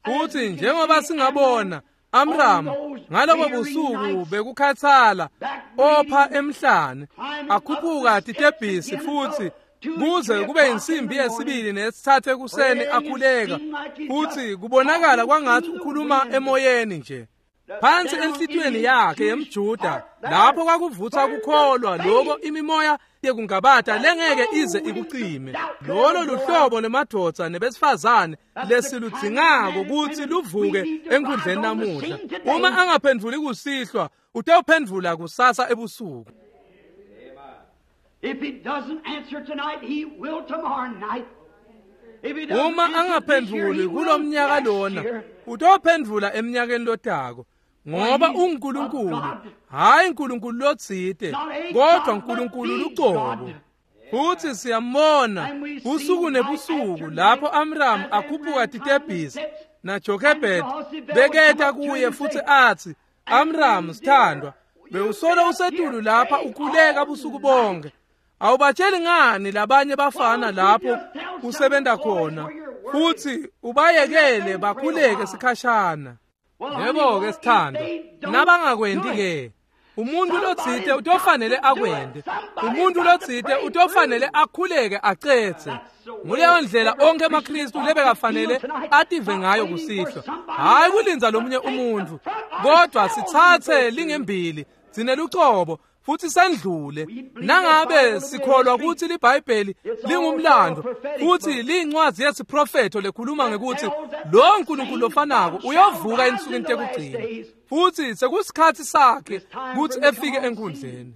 Futhi njengoba singabona Amram ngalobo busuku bekukhathala opha emhlane akhuphuka titebhisi futhi kuze kube insimbi yesibili nesithathu ekuseni akhuleka, futhi kubonakala kwangathi ukhuluma emoyeni nje. Phansi enhlitiyweni yakhe yemJuda lapho kwakuvutha kukholwa lokho imimoya yekungabata lengeke ize ikucime. Lolo luhlobo lwemadvodza nebesifazane lesiludzingako kutsi luvuke enkundleni namuhla. Uma angaphendvuli kusihlwa, utawuphendvula kusasa ebusuku. If he doesn't answer tonight, he will tomorrow night. If he doesn't Uma answer this year, angaphendvuli he will kulomnyaka next lona, year. utawuphendvula eminyakeni lotako. Ngoba uNkulunkulu, hayi uNkulunkulu lotsite, kodwa uNkulunkulu lucobo. Futhi siyambona usuku nebusuku lapho Amram akhuphuka titebhisi naJochebed beketa kuye futhi athi, Amram sithandwa, bewusolo usetulu lapha ukhuleka busuku bonke. Awubatsheli ngani labanye bafana lapho usebenta khona futhi ubayekele bakhuleke sikhashana? Yebo-ke sithandwa, nabangakwenti ke, umuntu lotsite utofanele akwente. Umuntu lotsite utofanele akhuleke acetse. Nguleyo ndlela onke emaKristu lebekafanele ative ngayo kusihlwa. Hhayi kulindza lomunye umuntu, kodwa sitsatse lingembili sinelucobo futhi sendlule. Nangabe sikholwa kutsi liBhayibheli lingumlando futhi liyincwadzi yesiprofetho lekhuluma ngekuthi lo Nkulunkulu lofanako uyovuka ensukwini tekugcina, futhi sekusikhatsi sakhe kutsi efike enkundleni.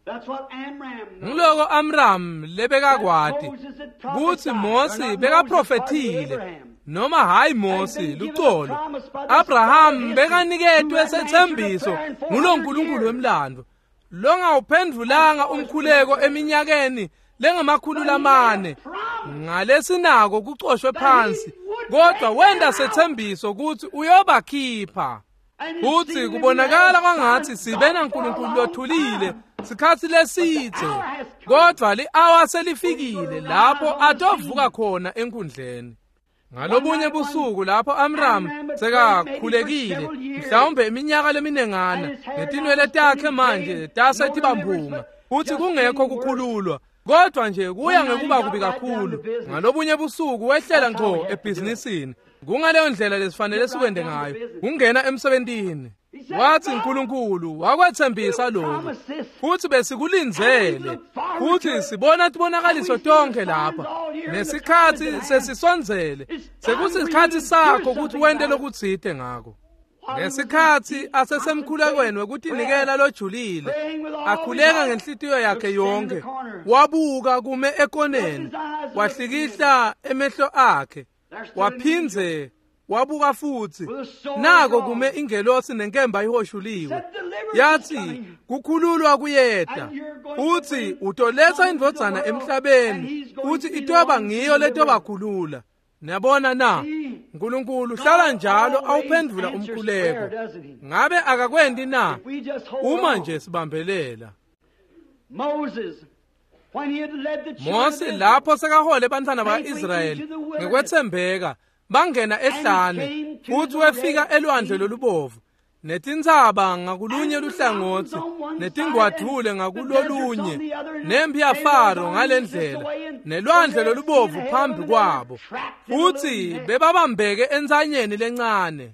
That's what Amram knows. Nguloko Amram lebekakwati kutsi Mosi bekaprofethile, noma hayi Mosi lucolo. Abraham bekaniketwe setsembiso ngulo Nkulunkulu wemlando longawuphendvulanga umkhuleko eminyakeni lengamakhulu lamane ngalesinako kucoshwe phansi, kodwa wenta setsembiso kutsi uyobakhipha. Futsi kubonakala kwangatsi sibe naNkulunkulu lothulile sikhatsi lesidze, kodvwa li-awa selifikile lapho atovuka khona enkundleni. Ngalobunye busuku lapho Amram sekakhulekile mhlawumbe iminyaka leminengana, netinwele takhe manje tase tibamphunga, futsi kungekho kukhululwa, kodwa nje kuya ngekuba kubi kakhulu. Ngalobunye busuku wehlela ngco ebhizinisini. Kungaleyo ndlela lesifanele sikwente ngayo, kungena emsebentini. Wathi uNkulunkulu wakwethembisa lokhu, futhi besikulindzele, futhi sibona tibonakaliso tonke lapha, nesikhatsi sesisondzele, sekusikhatsi sakho ukuthi wente lokutsite ngako. Ngesikhatsi asesemkhulekweni wekutinikela lojulile, akhuleka ngenhlitiyo yakhe yonke, wabuka kume ekoneni, wahlikihla emehlo akhe, waphindze wabuka futsi, nako kume ingelosi nenkemba ihoshuliwe. Yathi kukhululwa kuyeta, uthi utoletsa indvodzana emhlabeni, uthi itoba ngiyo letobakhulula. Niyabona na? uNkulunkulu hlala njalo awuphendvula umkhuleko. Ngabe akakwenti na? Uma nje sibambelela. Mose lapho sekahole bantfwana ba-Israyeli ngekwetsembeka, bangena ehlane, futhi wefika elwandle lolubovu, netintsaba ngakulunye luhlangotsi, netingwadvule ngakulolunye, nempi yaFaro ngalendlela, nelwandle lolubovu phambi kwabo, futhi bebabambeke entsanyeni lencane.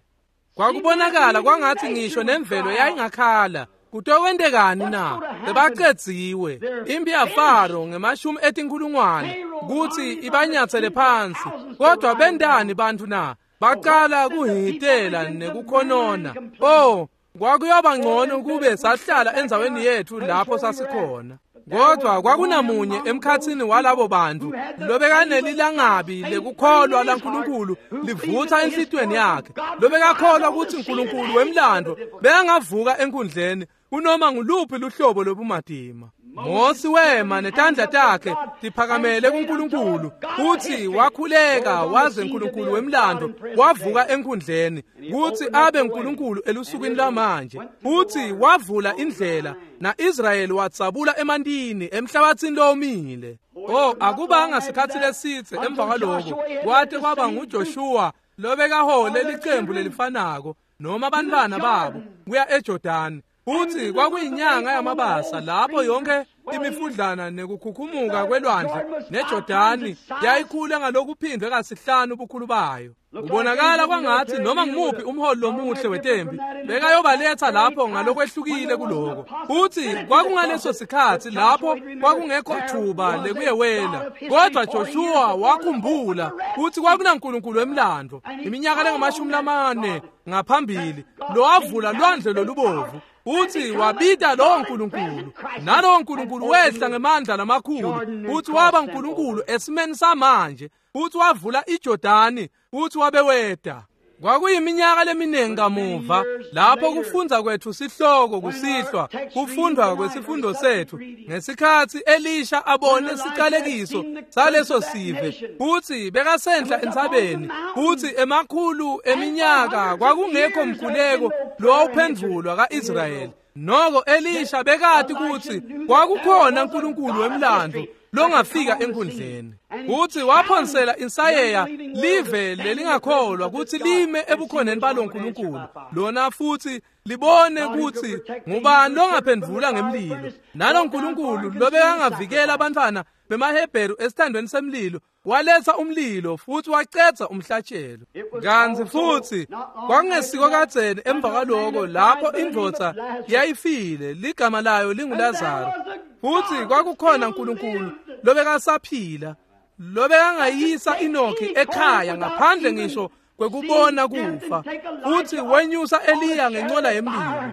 Kwakubonakala kwangatsi ngisho nemvelo yayingakhala. Kutokwentekani na? Bebacedziwe. Impi yaFaro ngemashumi etinkhulungwane kutsi ibanyatsele phansi. Kodwa bentani bantfu na? Baqala kuhitela nekukhonona. Oh, kwakuyoba ngcono kube sahlala endzaweni yetfu lapho sasikhona. Kodwa kwakunamunye emkhatsini walabo bantfu lobekanelilangabi lekukholwa laNkulunkulu livutsa enhlitiyweni yakhe, lobekakholwa kutsi uNkulunkulu wemlandvo bekangavuka enkundleni kunoma nguluphi luhlobo lobumatima. Mosi wema netandla takhe tiphakamele kuNkulunkulu, futhi wakhuleka waze uNkulunkulu wemlandvo wavuka enkundleni kutsi abe uNkulunkulu elusukwini lwamanje. Futhi wavula indlela, na-Israyeli watsabula emantini emhlabatsini lowomile. Oh, akubanga sikhatsi lesidze emva kwaloko kwate kwaba nguJoshua lobekahole licembu lelifanako noma abantwana babo kuya eJordani. Futhi kwakuyinyanga yamabasa lapho yonke imifudlana nekukhukhumuka kwelwandle neJordani yayikhula ngalokuphindwe kasihlanu ubukhulu bayo. Kubonakala kwangatsi noma ngumuphi umholi lomuhle wetempi bekayobaletsa lapho ngalokwehlukile kuloko. Futhi kwakungaleso sikhatsi lapho kwakungekho thuba lekuyewela. Kodwa Joshua wakhumbula kutsi kwakunaNkulunkulu wemlandvo iminyaka lengamashumi lamane ngaphambili lowavula lwandle lolubovu. Uthi wabita lowo Nkulunkulu, nalowo Nkulunkulu wehla ngemandla lamakhulu, uthi waba uNkulunkulu esimeni samanje, uthi wavula iJordani, uthi wabeweda. Kwakuyiminyaka leminingi kamuva lapho kufundza kwethu sihloko kusihlwa, kufundwa kwesifundo sethu ngesikhatsi Elisha abone sicalekiso saleso sive, futhi bekasenhla entsabeni, futhi emakhulu eminyaka kwakungekho mkhuleko lowawuphendvulwa ka-Israyeli. Noko Elisha bekati kutsi kwakukhona uNkulunkulu wemlandvo longafika enkundleni. Kuthi waphonsela insayeya live lelingakholwa kutsi lime ebukhoneni baloNkulunkulu lona, futhi libone kutsi ngubani longaphendvula ngemlilo. Nalo Nkulunkulu lobekangavikela abantwana bemaHebheru esithandweni semlilo waletsa umlilo futhi wacedza umhlatshelo. Kantsi futhi kwakungesiko kadzeni emva kwaloko lapho indvodza yayifile, ligama layo linguLazaro, futhi kwakukhona uNkulunkulu lobekasaphila lobekangayisa Enoki ekhaya ngaphandle ngisho kwekubona kufa, futhi wenyusa Eliya ngencola yemlilo,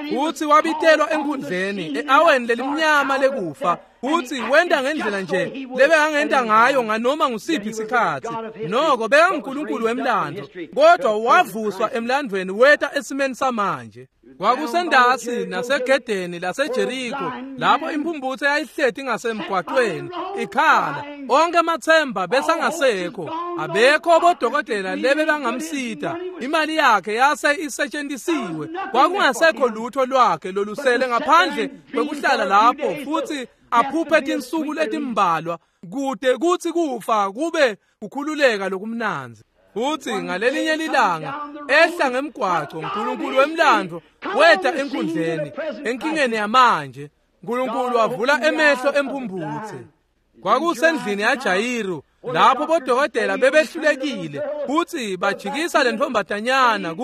futhi wabitelwa enkundleni e-aweni lelimnyama lekufa. Futsi wenta ngendlela nje lebekangenta ngayo nganoma ngusiphi sikhatsi. Noko bekanguNkulunkulu wemlandvo, kodwa wavuswa emlandvweni weta esimeni samanje. Kwakusendasi nasegedeni laseJeriko lapho imphumphutse yayihleti ngasemgwaqweni ikhala. Onke amatsemba besangasekho, abekho bodokotela lebe bangamsita. Imali yakhe yase isetshentisiwe, kwakungasekho lutho lwakhe lolusele ngaphandle kwekuhlala lapho futhi aphuphe tinsuku letimbalwa kude kutsi kufa kube kukhululeka lokumnandzi. Futsi ngalelinye lilanga ehla ngemgwaco, uNkulunkulu wemlandvo weta enkundleni, enkingeni yamanje. uNkulunkulu wavula emehlo emphumphutse. Kwakusendlini yaJayiru lapho bodokotela bebehlulekile kutsi bajikisa le ntombazanyana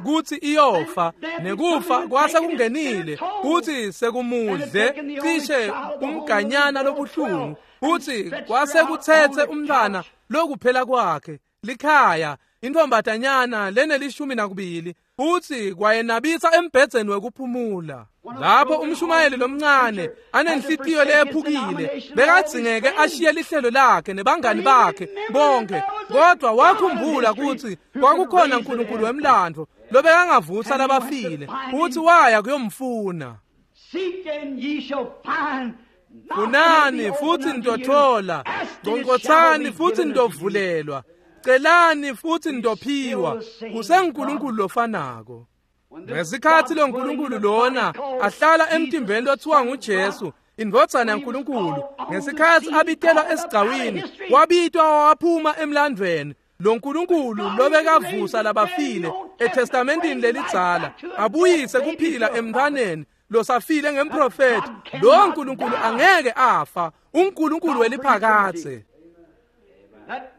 kutsi iyofa, nekufa kwase kungenile kutsi sekumudle cishe umganyana lobuhlungu, kutsi kwase kutsetse umntwana lokuphela kwakhe likhaya, intombazanyana lenelishumi nakubili, futsi kwayenabisa embhedzeni wekuphumula. Lapho umshumayeli lomncane anenhlitiyo leyephukile bekadzingeke ashiye lihlelo lakhe nebangani bakhe bonke, kodwa wakhumbula kutsi kwakukhona uNkulunkulu wemlandvo lobekangavusa labafile, futsi waya kuyomfuna. Funani futsi nitothola, ngonkotsani futsi nitovulelwa, celani futsi nitophiwa. KusenguNkulunkulu lofanako. Ngesikhatsi lo Nkulunkulu lona ahlala emtimbeni lothiwa nguJesu, indvodzana yaNkulunkulu, ngesikhatsi abitelwa esigcawini, wabitwa waphuma emlandvweni. Lo Nkulunkulu lobekavusa labafile eTestamentini lelidzala, abuyise kuphila emntwaneni losafile ngemprofethi, lo Nkulunkulu angeke afa, uNkulunkulu weliphakadze.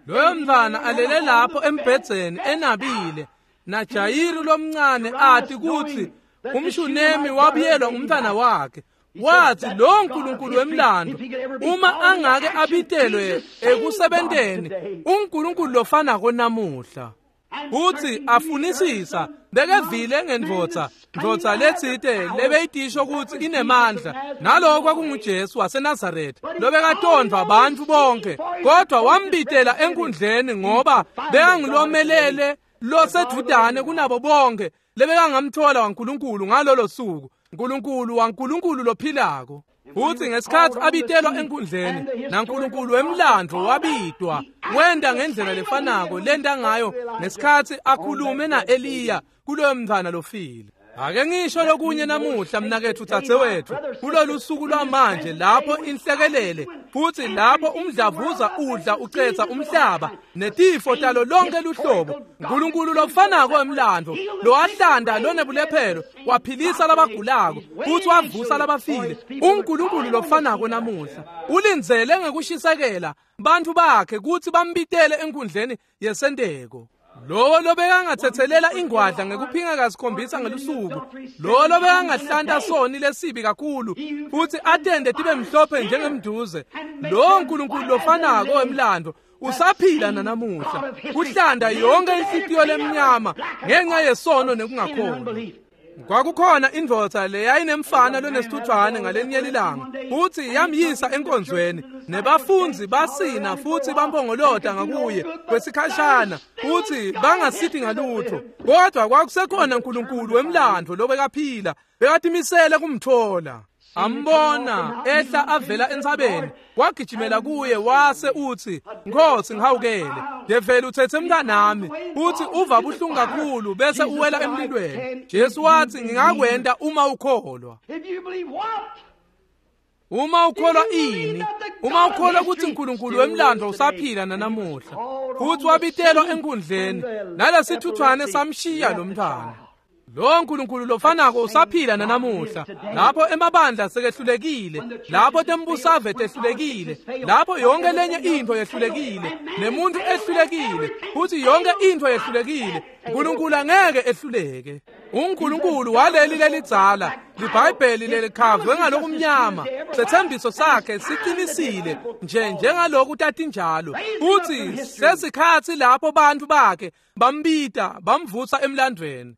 Loyo mntwana alele lapho embhedzeni enabile, naJayiru lomncane ati kutsi umshunemi wabuyelwa ngumntwana wakhe. Wathi lo Nkulunkulu wemlandvo uma angake abitelwe ekusebenteni, uNkulunkulu lofanako namuhla. Uthi afunisisa bekevile ngendvodza ndvodza letsite lebeyitisho kutsi inemandla, naloko kwakunguJesu waseNazaretha lobekatondvwa bantfu bonke, kodwa wambitela enkundleni ngoba bekangulomelele losedvudane kunabo bonke lebekangamthola waNkulunkulu ngalolo suku, Nkulunkulu waNkulunkulu lophilako. Futsi ngesikhatsi abitelwa enkundleni, naNkulunkulu wemlandvo wabitwa, wenta ngendlela lefanako lenta ngayo ngesikhatsi akhulume na-Eliya kuloyo mntwana lofile. Ake ngisho lokunye namuhla mnaketfu dzadzewetfu, kulolu suku lwamanje lapho inhlekelele futsi lapho umdlavuza udla ucetsa umhlaba netifo talo lonke luhlobo, uNkulunkulu lofanako wemlandvo lowahlanda lonebulephelo waphilisa labagulako futsi wavusa labafile, uNkulunkulu lofanako namuhla ulindzele ngekushisekela bantfu bakhe kutsi bambitele enkundleni yesenteko. Lowo lobekangatsetselela ingwadla ngekuphinga kasikhombisa ngelusuku, lowo lobekangahlanta soni lesibi kakhulu futsi atende tibe mhlophe njengemduze, lowo Nkulunkulu lofanako wemlandvo usaphila nanamuhla, kuhlanda yonke inhlitiyo lemnyama ngenxa yesono nekungakholwa. Kwakukhona indvodza leyayinemfana lonesithuthwane ngalenye lilanga, futsi yamyisa enkonzweni, nebafundzi basina futsi bampongolota ngakuye kwesikhashana, futsi bangasithi ngalutho, kodwa kwakusekhona uNkulunkulu wemlandvo lobekaphila, bekatimisele kumthola. Ambona ehla avela entsabeni, wagijimela kuye wase utsi, Nkosi ngihawukele, develi utsetse mntanami, futsi uva buhlungu kakhulu bese uwela emlilweni. Jesu wathi, ngingakwenta uma ukholwa. Uma ukholwa ini? Uma ukholwa kutsi uNkulunkulu wemlandvo usaphila nanamuhla, futsi wabitelwa enkundleni, nalesithuthwane samshiya lo mntwana. Lo Nkulunkulu lofanako usaphila nanamuhla, lapho emabandla sekehlulekile, lapho tembusave tehlulekile, lapho yonke lenye intfo yehlulekile, nemuntu ehlulekile, futsi yonke intfo yehlulekile, uNkulunkulu angeke ehluleke. uNkulunkulu waleli lelidzala, liBhayibheli lelikhavwe ngalokumnyama, setsembiso sakhe siqinisile nje njengaloku tatinjalo, futsi sesikhatsi lapho bantfu bakhe bambita bamvusa emlandvweni.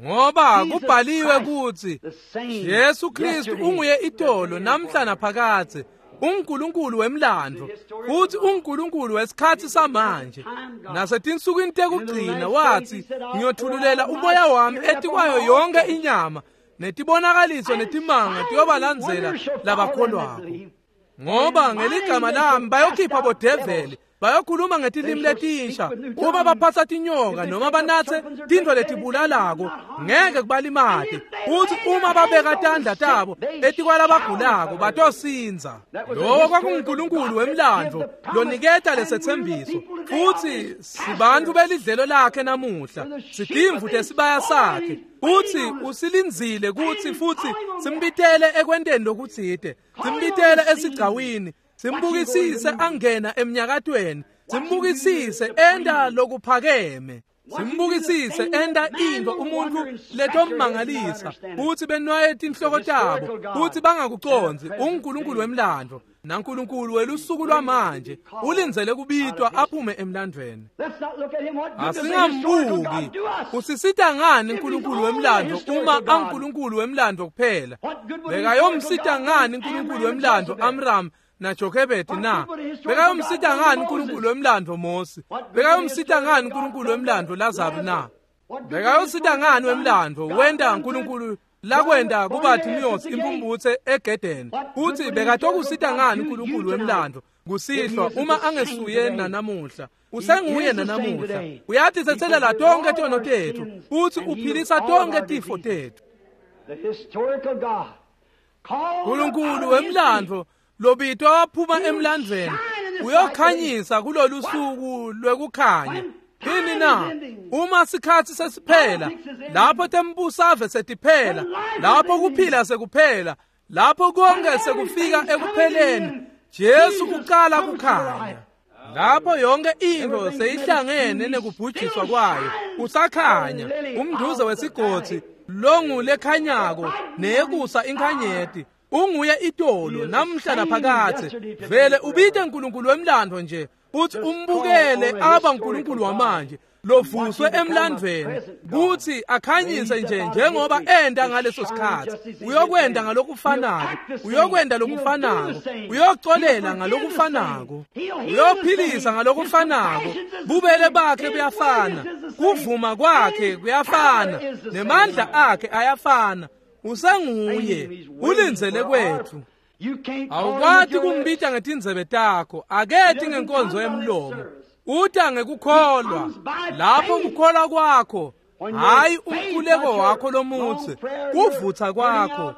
Ngoba kubhaliwe kutsi Jesu Kristu unguye itolo namhla naphakadze, uNkulunkulu wemlandvo futhi uNkulunkulu wesikhatsi samanje. Nasetinsukwini tekugcina wathi, ngiyothululela umoya wami etikwayo yonke inyama, netibonakaliso netimanga tiyobalandzela labakholwako. Ngoba ngeligama lami bayokhipha bodeveli, bayokhuluma ngetilimi letinsha, uma baphatsa tinyoka noma banatse tintfo letibulalako ngeke kubalimate, futhi uma babeka tandla tabo etikwalabagulako batosindza. Lowo kwakunguNkulunkulu wemlandvo loniketa lesetsembiso, futhi sibantfu belidlelo lakhe namuhla, sitimvu tesibaya sakhe, futhi usilindzile kutsi futhi simbitele ekwenteni lokutsite, simbitele esigcawini, simbukisise angena emnyakatweni, simbukisise enta lokuphakeme, simbukisise enta intfo umuntfu letommangalisa, futhi benwaye tinhloko tabo futhi bangakucondzi. UNkulunkulu wemlandvo naNkulunkulu welusuku lwamanje ulindzele kubitwa aphume emlandvweni. Asingambuki. Usisita ngani uNkulunkulu wemlandvo uma aNkulunkulu wemlandvo kuphela? Bekayomsita ngani uNkulunkulu wemlandvo Amram naJokhebedi na? Bekayomsita ngani uNkulunkulu wemlandvo Mosi? Bekayomsita ngani uNkulunkulu wemlandvo Lazaro na? Bekayosita ngani wemlandvo wenta uNkulunkulu lakwenta kuBartimeus impumputse egedeni? Futhi bekatokusita ngani uNkulunkulu wemlandvo kusihlwa uma angesuye nanamuhla? Usenguye nanamuhla. Uyatitsetselela tonke tono tetfu futhi uphilisa tonke tifo tetfu. Nkulunkulu wemlandvo lobitwa waphuma emlandvweni uyokhanyisa kulolu suku lwekukhanya. Yini na? Uma sikhatsi sesiphela, lapho tembusave setiphela, lapho kuphila sekuphela, lapho konke sekufika ekupheleni, Jesu uqala kukhanya. Lapho yonke intfo seyihlangene nekubhujiswa kwayo, usakhanya umnduze wesigodzi longulekhanyako neyekusa inkhanyeti. Unguye itolo namhla naphakadze. Vele ubite uNkulunkulu wemlandvo nje uthi umbukele aba uNkulunkulu wamanje lovuswe emlandvweni kuthi akhanyise nje njengoba enta ngaleso sikhatsi. Uyokwenta ngalokufanako, uyokwenta lokufanako, uyocolela ngalokufanako, uyophilisa ngalokufanako. Bubele bakhe buyafana, kuvuma kwakhe kuyafana, nemandla akhe ayafana. Usenguye, ulindzele kwetfu. Awukwati kumbita ngetindzebe takho, akethi ngenkonzo yemlomo. Uta ngekukholwa. Lapho kukholwa kwakho, hayi umkhuleko wakho lomutsi, kuvutsa kwakho,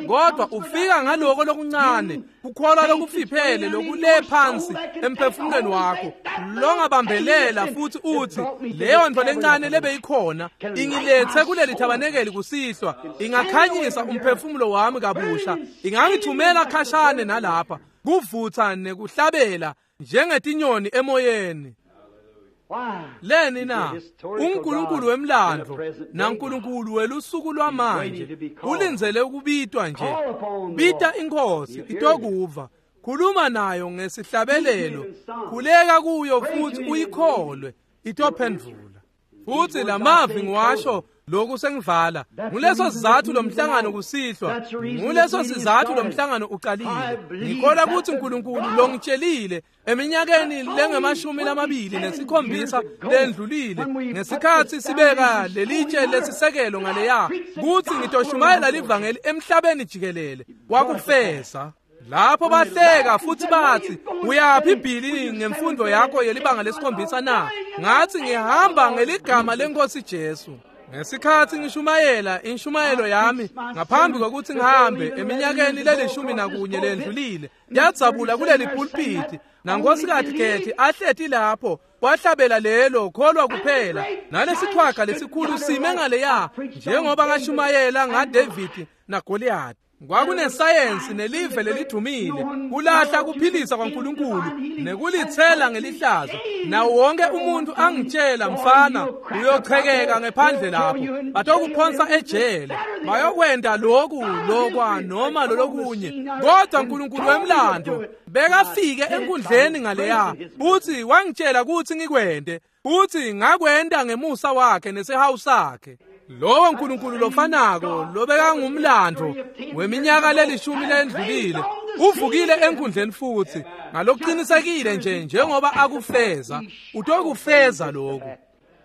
kodwa ufika ngaloko lokuncane, kukholwa lokufiphele lokule phansi emphefumulweni wakho longabambelela futhi uthi leyo nto lencane lebeyikhona ingilethe kuleli thabanekeli kusihlwa, ingakhanyisa umphefumulo wami kabusha, ingangithumela khashane nalapha kuvutsa nekuhlabela njengetinyoni emoyeni. Leni na? uNkulunkulu wemlandvo naNkulunkulu welusuku lwamanje ulindzele ukubitwa nje. Bita inkosi itokuva, khuluma nayo ngesihlabelelo, khuleka kuyo futhi uyikholwe, itophendvula. Futhi lamavi ngiwasho lokhu sengivala. Nguleso sizathu lomhlangano kusihlwa, nguleso sizathu lomhlangano uqalile. Ngikholwa ukuthi uNkulunkulu longitshelile eminyakeni lengamashumi lamabili nesikhombisa lendlulile, ngesikhatsi sibeka lelitshe lesisekelo ngaleya, kutsi ngitoshumayela livangeli emhlabeni jikelele, wakufeza. Lapho bahleka futhi bathi, uyaphi Billy ngemfundo yakho yelibanga lesikhombisa na? Ngathi ngihamba ngeligama lenkosi Jesu. Ngesikhatsi ngishumayela inshumayelo yami ngaphambi kokuthi ngihambe eminyakeni lelishumi nakunye lendlulile, yadzabula kuleli pulpiti, nankosikazi Kethi ahleti lapho, wahlabela lelo kholwa kuphela, nalesichwaga lesikhulu sime ngaleya njengoba ngashumayela ngaDavid naGoliath. Kwakunesayensi nelive lelidumile kulahla kuphilisa kwaNkulunkulu nekulithela ngelihlazo. Nawo wonke umuntu angitshela, mfana, uyochekeka ngephandle lapho, batokuphonsa ejele, bayokwenda lokhu lokwa noma lolokunye. Kodwa uNkulunkulu wemlando bekafike enkundleni ngaleya, uthi wangitshela ukuthi ngikwende, uthi ngakwenda ngemusa wakhe nesihawu sakhe. Lowo nkulunkulu lofanako lobekangumlando weminyaka lelishumi lendlulile uvukile enkundleni futhi ngalokuqinisekile nje njengoba akufeza, utokufeza lokhu.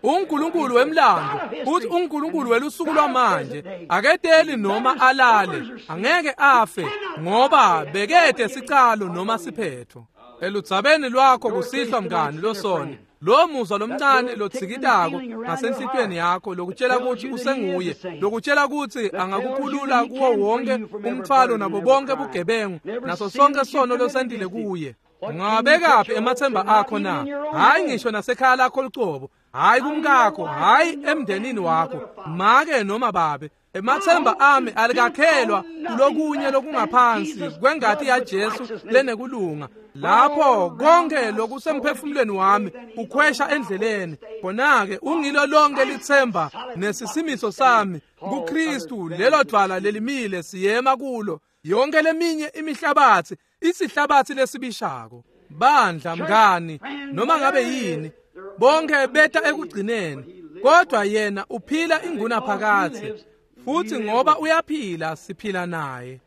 UNkulunkulu wemlando uthi uNkulunkulu welusuku lwamanje aketeli noma alale, angeke afe ngoba bekede sicalo noma siphetho. Eludzabeni lwakho kusihlwa mngani losona, lo muzwa lomncane lotsikitako ngasenhlitweni yakho lokutshela ukuthi usenguye, lokutshela ukuthi angakukhulula kuwo wonke umthwalo nabo bonke bugebengu naso sonke sono losendile kuye. Ungawabekaphi emathemba akho na? Hayi ngisho nasekhaya lakho lucobo, hayi kumkakho, hayi emndenini wakho, make noma babe. Emathemba ami alikakhelwa kulokunye lokungaphansi kwengati yaJesu lenekulunga. Lapho konke lokusemphefumulweni wami ukhwesha endleleni, khona-ke ungilo lonke lithemba nesisimiso sami kuKristu. Lelo dwala lelimile siyema kulo, yonke leminye imihlabathi isihlabathi lesibishako. Bandla mngani, noma ngabe yini, bonke beta ekugcineni, kodwa yena uphila ingunaphakadze, futhi ngoba uyaphila siphila naye.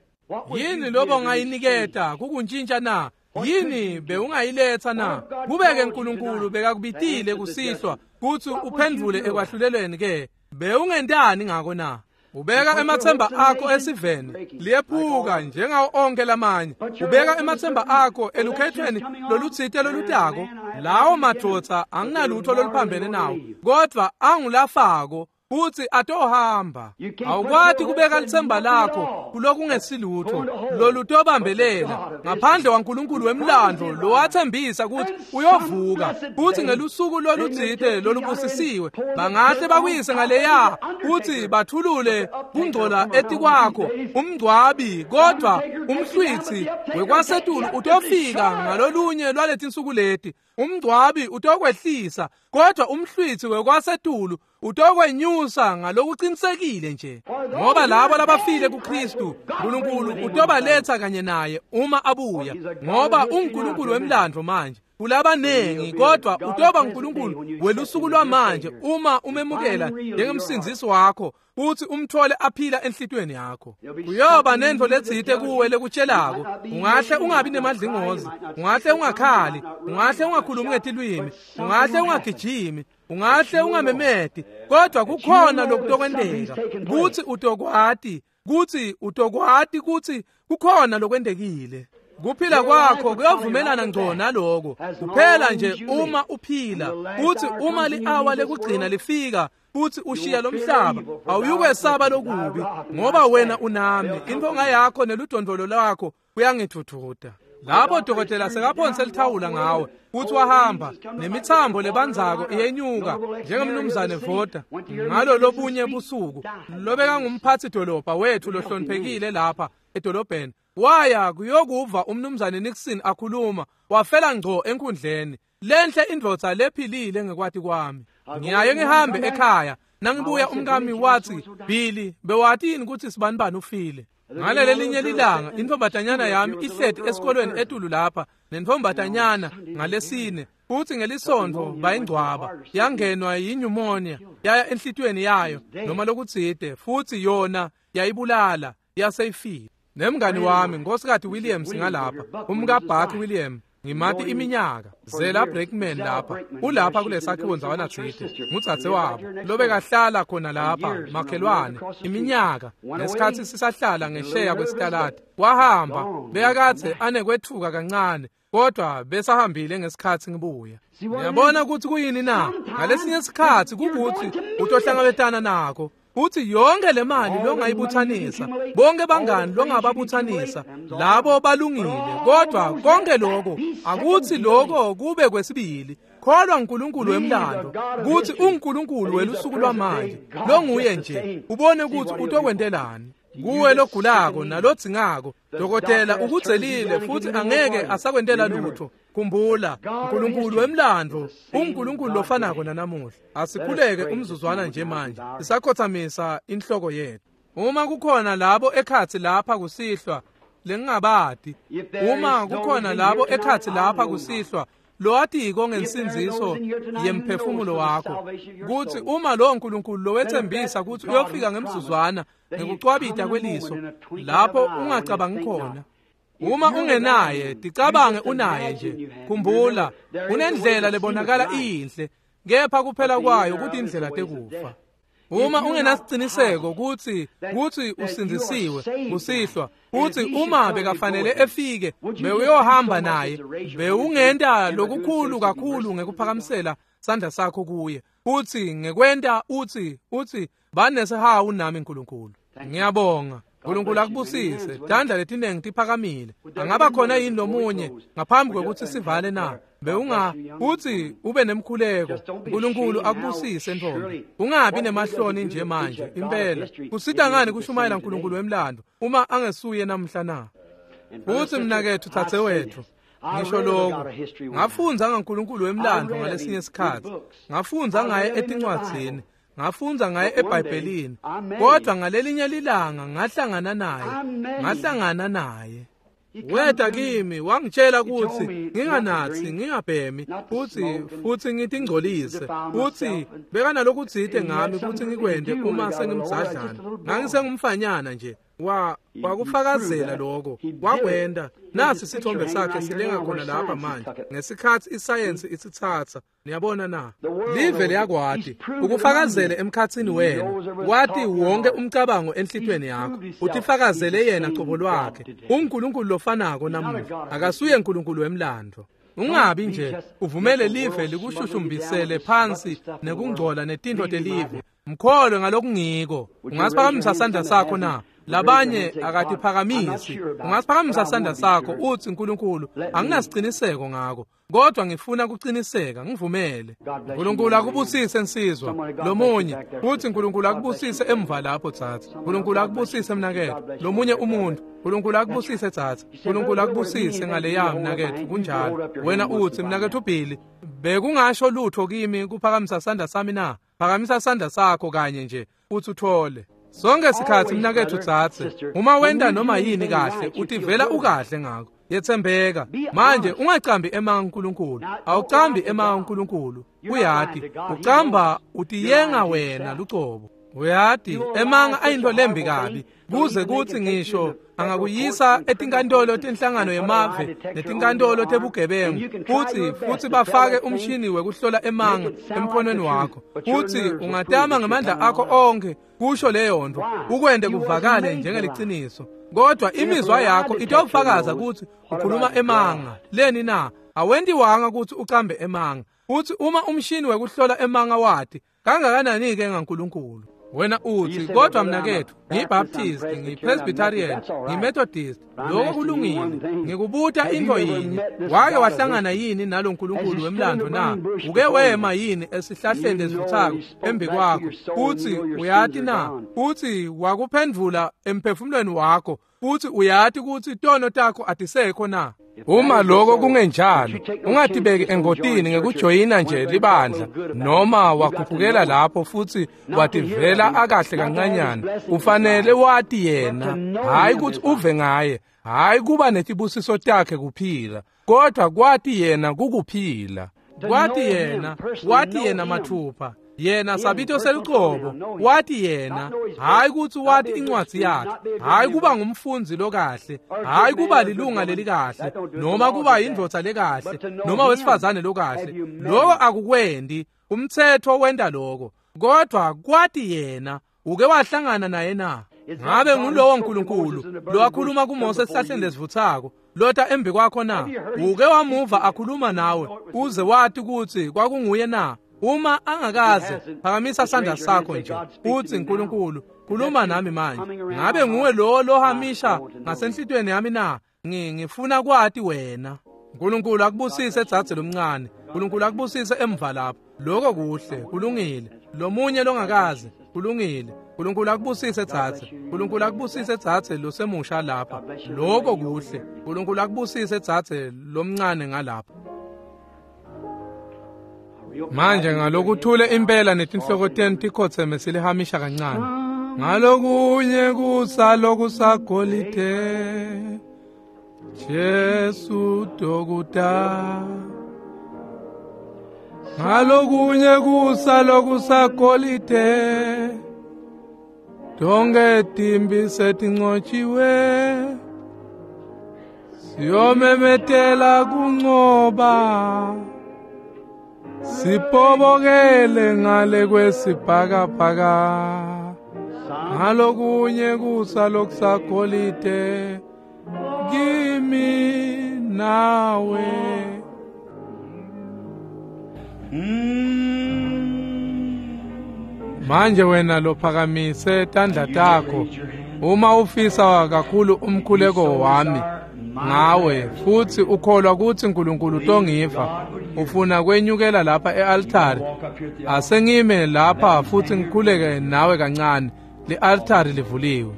Yini lobo ongayiniketa kukuntshintsha na? Yini bewungayiletha na? Kubeke uNkulunkulu bekakubitile kusihlwa kuthi uphendvule ekwahlulelweni ke, bewungentani ngako na? Ubeka emathemba akho esiveni liyephuka njengawo onke lamanye. Ubeka emathemba akho elukhethweni lolutsite lolutako. Lawo madvodza anginalutho loluphambene nawo, kodwa angulafako futhi atohamba. Awukwati kubeka lithemba lakho kulokungesilutho lolutobambelela ngaphandle kwaNkulunkulu wemlando lowathembisa ukuthi uyovuka futhi ngelusuku lolutsite lolubusisiwe bangahle bakuyise ngaleya futhi bathulule kungcola etikwakho umngcwabi, kodwa umhlwithi wekwasetulu utofika ngalolunye lwaletinsuku leti. Umngcwabi utokwehlisa, kodwa umhlwithi wekwasetulu utokwenyusa ngalokuqinisekile nje, ngoba labo labafile kuKristu uNkulunkulu utobaletha kanye naye uma abuya, ngoba uNkulunkulu wemlando manje kulabanengi, kodwa utoba uNkulunkulu welusuku lwamanje uma umemukela njengemsindzisi wakho futhi umthole aphila enhlitweni yakho. Kuyoba nento letsite kuwe lekutshelako. Ungahle ungabi nemadlingozi, ungahle ungakhali, ungahle ungakhulumi ngetilwimi, ungahle ungagijimi, ungahle ungamemeti, kodwa kukhona lokutokwenteka kuthi utokwati, kuthi utokwati kuthi kukhona lokwentekile. Kuphila kwakho kuyovumelana ngco naloko kuphela nje uma uphila, kuthi uma li-awa lekugcina lifika futhi ushiya lomhlaba, awuyukwesaba lokubi ngoba wena unami, intonga yakho neludondolo lwakho kuyangithuthuta. Lapho dokotela sekaphonse lithawula ngawe futhi wahamba nemithambo lebanzako iyenyuka njengemnumzane Voda ngalo lobunye busuku lobekangumphathi dolobha wethu lohloniphekile lapha edolobheni, waya kuyokuva umnumzane Nixon akhuluma, wafela ngco enkundleni. Lenhle indvodza lephilile ngekwati kwami. Ngiyaye ngihambe ekhaya, nangibuya umkami wathi, Billy, bewati yini ukuthi sibanibani ufile? Ngalelelinye lilanga intombatanyana yami ihleti esikolweni etulu lapha nentombatanyana ngalesine, futhi ngelisonto bayingcwaba, yangenwa yinyumonia yaya enhlitweni yayo noma lokutsite, futhi yona yayibulala yaseyifile. Nemngani wami Nkosikazi Williams ngalapha, umkaBuck William, ngimati iminyaka, Zela Breakman lapha, ulapha kulesakhiwo ndzawana tsite, ngudzadze wabo lobekahlala khona lapha makhelwane iminyaka, ngesikhatsi sisahlala ngesheya kwesitaladi. Wahamba bekakadze anekwetfuka kancane, kodwa besahambile ngesikhatsi ngibuya. Ngiyabona ukuthi kuyini na? Ngalesinye isikhatsi kukuthi utohlangabetana nako uthi yonke le mali longayibuthanisa, bonke bangani longababuthanisa, labo balungile, kodwa konke lokho akuthi lokho kube kwesibili. Kholwa uNkulunkulu wemlando kuthi uNkulunkulu welusuku lwamanje longuye nje, ubone ukuthi utokwentelani. Kuwe logulako nalodzingako, dokotela ukudzelile futhi angeke asakwentela lutho. Khumbula, uNkulunkulu wemlandvo unguNkulunkulu lofanako nanamuhla. Asikhuleke umzuzwana nje manje, sisakhothamisa inhloko yethu. Uma kukhona labo ekhatsi lapha kusihlwa lengingabati, uma kukhona labo ekhatsi lapha kusihlwa lowatiko ngensindziso yemphefumulo wakho, kutsi uma lowo Nkulunkulu lowetsembisa kutsi uyofika ngemzuzwana ngekucwabita kweliso lapho ungacabangi khona, uma ungenaye ticabange unaye nje. Khumbula, unendlela lebonakala iyinhle, kepha kuphela kwayo kutindlela tekufa. Uma ungenasiciniseko kutsi usindzisiwe kusihlwa, kutsi uma bekafanele efike bewuyohamba naye, bewungenta lokukhulu kakhulu ngekuphakamisela sandla sakho kuye, uthi ngekwenta uthi banesihawu nami Nkulunkulu. Ngiyabonga. Nkulunkulu akubusise. Tandla letinengi tiphakamile. Angaba khona yini lomunye ngaphambi kwekutsi sivale na? Bewunga uthi ube nemkhuleko. Nkulunkulu akubusise ntombi. Ungabi nemahloni nje manje impela. Kusita ngani kushumayela uNkulunkulu wemlando uma angesuye namhla na? Uthi mnakethu thathe wethu. Ngisho lokho ngafundza ngaNkulunkulu wemlando ngalesinye isikhathi. Ngafundza ngaye etincwadzini, ngafundza ngaye eBhayibhelini, kodwa ngalelinye lilanga ngahlangana naye. Weta kimi wangitshela kutsi nginganatsi, ngingabhemi, futhi ngitingcolise, futhi bekanalokutsite ngami kutsi ngikwente uma sengimdzadlana. Ngangisengumfanyana nje. Wakufakazela lokho, wakwenta. Nasi sithombe sakhe silenga khona lapha manje ngesikhathi isayensi isitsatsa. Niyabona na? Live liyakwati ukufakazele emkhatsini wena, wati wonke umcabango enhlitweni yakho, utifakazele yena cobo lwakhe. UNkulunkulu lofanako namuhla, akasuye uNkulunkulu wemlando. Ungabi nje uvumele live likushushumbisele phansi nekungcola netintfo telive. Mkholwe ngalokungiko. Ungasiphakamisa sandla sakho na? Labanye akatiphakamisi. Ungasiphakamisa sandla sakho uthi Nkulunkulu, anginasiciniseko ngako, kodwa ngifuna kuciniseka, ngivumele. Nkulunkulu akubusise nsizwa. Lomunye uthi Nkulunkulu akubusise emva lapho tsatsa. Nkulunkulu akubusise mnaketfu. Lomunye umuntu, Nkulunkulu akubusise tsatsa. Nkulunkulu akubusise ngale yami mnaketfu. Kunjalo. Wena uthi mnaketfu Billy, bekungasho lutho kimi kuphakamisa sandla sami na? Phakamisa sandla sakho kanye nje uthi uthole. Sonke sikhathi mnaketfu tsatse, uma wenta noma yini kahle utivela ukahle ngako. Yetsembeka. Manje ungacambi emanga uNkulunkulu. Awucambi emanga uNkulunkulu. Uyati, ucamba utiyenga wena lucobo. Uyati, emanga ayinto lembi kabi, kuze kutsi ngisho angakuyisa etinkantolo tenhlangano yemave netinkantolo tebugebengu, futhi bafake umshini wekuhlola emanga emkhonweni wakho, futhi ungatama ngamandla akho onke kusho leyo nto ukwente kuvakale njengeliciniso, kodwa imizwa yakho itawufakaza kutsi ukhuluma emanga. Leni na? Awentiwanga kutsi ucambe emanga. Futhi uma umshini wekuhlola emanga wati kangakanani-ke ngaNkulunkulu? Wena uthi, kodwa mnaketfu, ngiyiBaptist, ngiyiPresbyterian, ngiyiMethodist. Lokho kulungile. Ngikubuta into yinye. Wake wahlangana yini nalo Nkulunkulu wemlando na? Uke wema yini esihlahleni lesivuthako embi kwakho? Uthi uyati na? Uthi wakuphendvula emphefumulweni wakho, futhi uyati kutsi tono takho atisekho na? Uma lokho kungenjalo, ungatibeki engotini ngekujoyina nje libandla noma wakhuphukela lapho futhi wativela akahle kancanyana. Ufanele wati yena, hayi kutsi uve ngaye, hayi kuba netibusiso takhe kuphila, kodwa kwati yena kukuphila. Kwati yena, wati yena mathupha. Yena sabito selucobo, wati yena, hayi kutsi wati incwadzi yakhe, hayi kuba ngumfundzi lokahle, hayi kuba lilunga lelikahle, noma kuba yindvodza lekahle, noma wesifazane lokahle. Lokho akukwendi, umtsetfo wenta lokho, kodwa kwati yena. Uke wahlangana naye na? Ngabe ngulowo Nkulunkulu lowakhuluma kuMose esihlahleni lesivuthako lota embi kwakho na? Uke wamuva akhuluma nawe uze wati kutsi kwakunguye na? Uma angakaze, phakamisa sandla sakho nje uthi Nkulunkulu, khuluma nami manje. Ngabe nguwe lo lohamisha ngasenhlitweni yami na? Ngifuna kwati wena. Nkulunkulu akubusise dzadze lomncane. Nkulunkulu akubusise emva lapho. Lokho kuhle, kulungile. Lomunye longakaze, kulungile. Nkulunkulu akubusise dzadze. Nkulunkulu akubusise dzadze losemusha lapha. Lokho kuhle. Nkulunkulu akubusise dzadze lomncane ngalapha. Manje ngalokuthule impela netinhloko tenu tikhotseme silihamisha kancane. Ngalokunye kusa lokusagolide Jesu dokuta. Ngalokunye kusa lokusagolide tonke timbi setinqotshiwe siyomemetela kunqoba sipobokele ngale kwesibhakabhaka. Ngalokunye kusa lokusagolide kimi nawe. Manje wena lophakamise tandla takho, uma ufisa kakhulu umkhuleko wami ngawe futhi ukholwa ukuthi uNkulunkulu utongiva, ufuna kwenyukela lapha e-altari, asengime lapha futhi ngikhuleke nawe kancane. Le-altari livuliwe.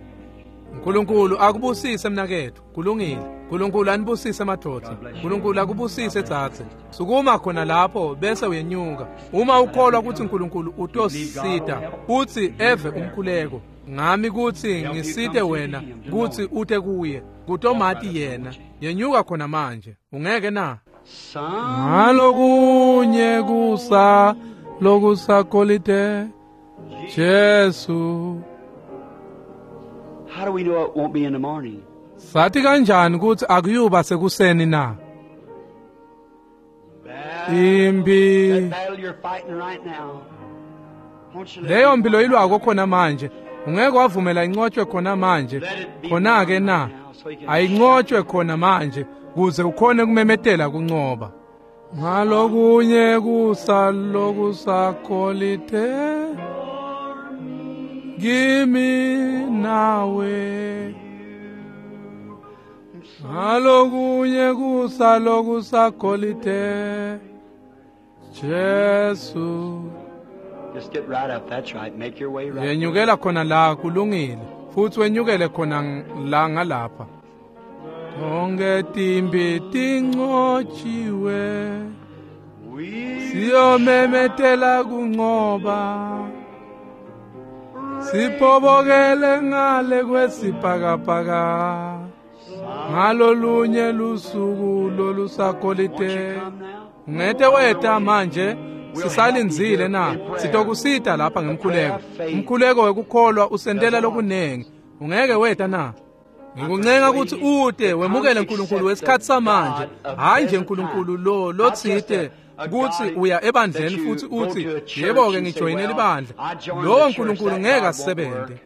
uNkulunkulu akubusise mnakethu. Kulungile. uNkulunkulu anibusise madoda. uNkulunkulu akubusise dzadze. Sukuma khona lapho bese uyenyuka. Uma ukholwa ukuthi uNkulunkulu utosisita uthi eve umkhuleko ngami kuthi ngisite wena kuthi ute kuye kutomati yena. Yenyuka khona manje. Ungeke na? Ngalokunye kusa lokusagolide Jesu. How do we know it won't be in the morning? Sathi kanjani ukuthi akuyuba sekuseni na? Impi leyo mpilo ilwako khona manje, ungeke wavumela inqotshwe khona manje. Khona ke na ayinqotshwe khona manje kuze ukhone kumemetela kunqoba. Ngalokunye kusa lokusagolide kimi nawe. Ngalokunye kusa lokusagolide Jesu. Just get right up. That's right. Make your way right. Yenyukela khona la, kulungile. Futhi wenyukele khona la ngalapha. Tonke timbi tinqotshiwe siyomemetela kunqoba sipobokele ngale kwesibhakabhaka. Ngalolunye lusuku lolusagolide ungete weta manje. Sisalindzile na? Sitokusita lapha ngemkhuleko. Umkhuleko wekukholwa usentela lokunengi. Ungeke weta na? Ngikuncenga ukuthi ute wemukele uNkulunkulu wesikhathi samanje, hayi nje uNkulunkulu lo lotsite kuthi uya ebandleni futhi uthi yebo ke ngijoyinele ibandla. Lowo uNkulunkulu ngeke asebenze.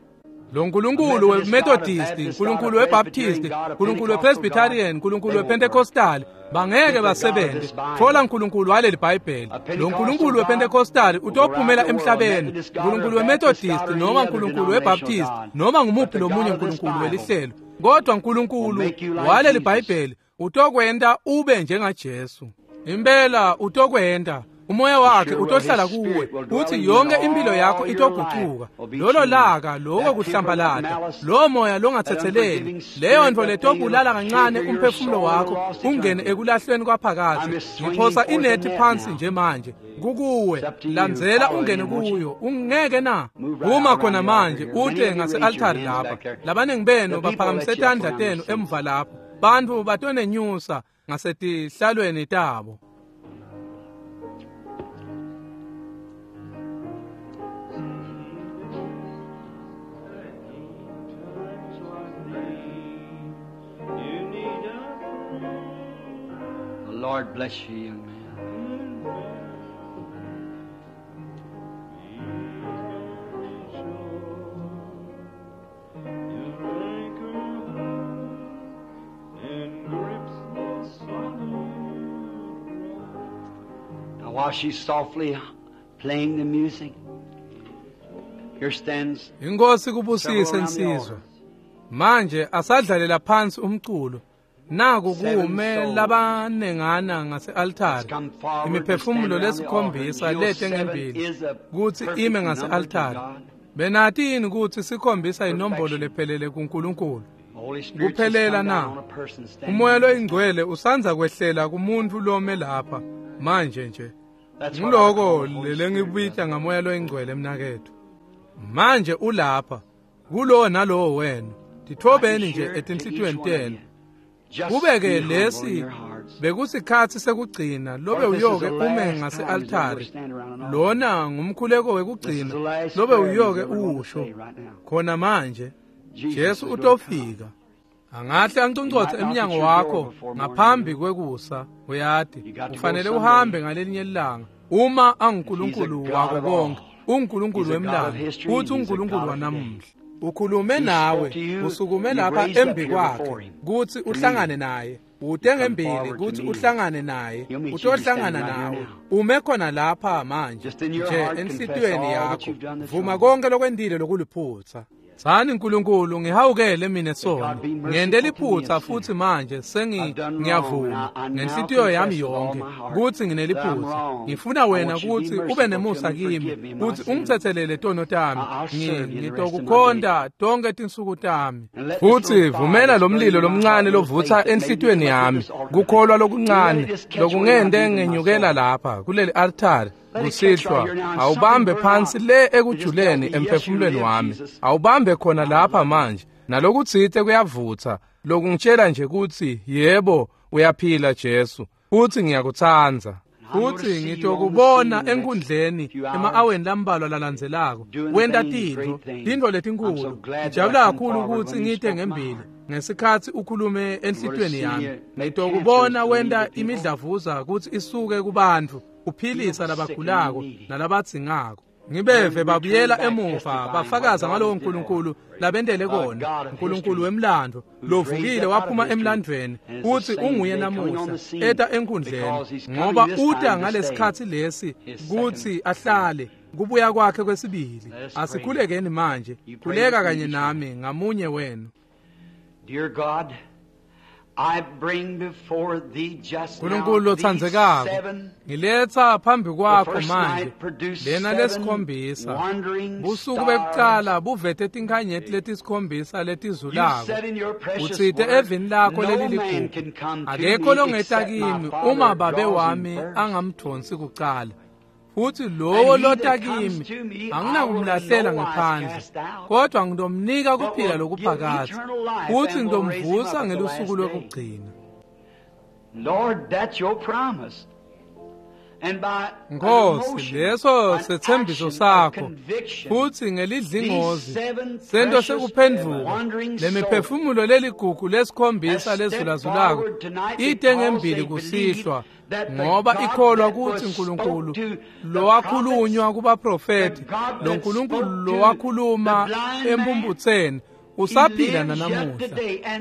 Lo nkulunkulu weMethodist, uNkulunkulu weBaptist, uNkulunkulu wePresbyterian, uNkulunkulu wePentecostal bangeke basebenze. Thola uNkulunkulu waleli Bhayibheli. Lo nkulunkulu wePentecostal utophumela emhlabeni. uNkulunkulu weMethodist noma uNkulunkulu weBaptist noma ngumuphi lomunye uNkulunkulu welihlelo, kodwa uNkulunkulu waleli Bhayibheli utokwenta ube njengaJesu. Impela utokwenta. Umoya wakhe utohlala kuwe uthi yonke impilo yakho itogucuka. Lolo laka, lokho kuhlambalata, lo moya longathetheleli, leyo nto letobulala kancane umphefumulo wakho ungene ekulahlweni kwaphakathi. Ngiphosa inethi phansi nje manje kukuwe, landzela ungene kuyo. Ungeke na? Uma khona manje ute ngase-altari lapha. Labaningi benu baphakamise tandla tenu emva lapho. Bantu batonenyusa ngasetihlalweni tabo. Lord bless you, young man. Now while she's softly playing the music, here stands Inkosi kubusise insizwa. Manje asadlalela phansi umculo. Naku kume labanengana ngase-altari, imiphefumulo lesikhombisa lete ngembili kuthi ime ngase-altari. Benati yini kutsi sikhombisa inombolo lephelele kuNkulunkulu? Kuphelela na? Umoya loyingcwele usanza kwehlela kumuntfu lome lapha manje nje. Nguloko lelengibita ngamoya loyingcwele mnaketfu. Manje ulapha kulowo nalowo wenu. Tithobeni nje etinhlitiyweni tenu. Kube-ke lesi bekusikhatsi sekugcina lobe uyoke ume ngase-altari. Lona ngumkhuleko wekugcina lobe uyoke uwusho khona manje. Jesu utofika. Angahle anconcotse emnyango wakho ngaphambi kwekusa. Uyati ufanele uhambe ngalelinye ilanga. Uma anguNkulunkulu wako konke, uNkulunkulu wemlando futhi uNkulunkulu wanamuhla. Ukhulume nawe, usukume lapha embi kwakhe kutsi uhlangane naye. Ute ngembili kutsi uhlangane naye, utohlangana nawe. Ume khona lapha manje nje enhlitiyweni yakho. Vuma konke lokwentile lokuliphutsa. Tsani Nkulunkulu, ngihawukele mine sona. Ngente liphutsa futhi manje sengiyavuma ngenhlitiyo yami yonke kutsi ngineliphutsa. Ngifuna wena kutsi ube nemusa kimi, kutsi ungitsetselele tono tami. Ngitokukhonta tonke tinsuku tami. Futhi vumela lo mlilo lomncane lovutsa enhlitiyweni yami, kukholwa lokuncane lokungente ngenyukela lapha kuleli altari kusihlwa. Awubambe phansi le ekujuleni emphefumulweni wami. Awubambe khona lapha manje. Nalokutsite kuyavutsa lokungitshela nje kutsi yebo uyaphila Jesu, futhi ngiyakutsandza. Futhi ngitokubona enkundleni ema-aweni lambalwa lalandzelako. Wenta tintfo letinkulu. Ngijabula kakhulu kutsi ngite ngembili ngesikhatsi ukhulume enhlitiyweni yami. Ngitokubona wenta imidlavuza kutsi isuke kubantfu, uphilisa labagulako nalabadzingako. Ngibeve babuyela emuva bafakaza ngalowo Nkulunkulu labentele kona, Nkulunkulu wemlando lovukile waphuma emlandvweni, utsi unguye namuhla eta enkundleni, ngoba uta ngalesikhatsi lesi kutsi ahlale kubuya kwakhe kwesibili. Asikhulekeni manje. Khuleka kanye nami ngamunye wenu. Dear God, I bring before thee just now Nkulunkulu lotsandzekako, ngiletsa phambi kwakho manje lena lesikhombisa. Busuku bekucala buvete tinkhanyeti letisikhombisa letizulako. Utsite evini lakho leliligugu, akekho longeta kimi uma babe wami angamdvonsi kucala. Futhi lowo lota kimi anginakumlahlela ngephandle, kodwa ngitomnika kuphila lokuphakadze, futhi ngitomvusa ngelusuku lwekugcina. Lord, that's your promise. And by Nkosi, leso setsembiso sakho, futhi ngelidlingozi sento sekuphendvuka lemiphefumulo leligugu lesikhombisa lezulazulako ite ngembili kusihlwa, ngoba ikholwa kutsi Nkulunkulu lowakhulunywa kubaprofethi, lo Nkulunkulu lowakhuluma empumputseni usaphila nanamuhla,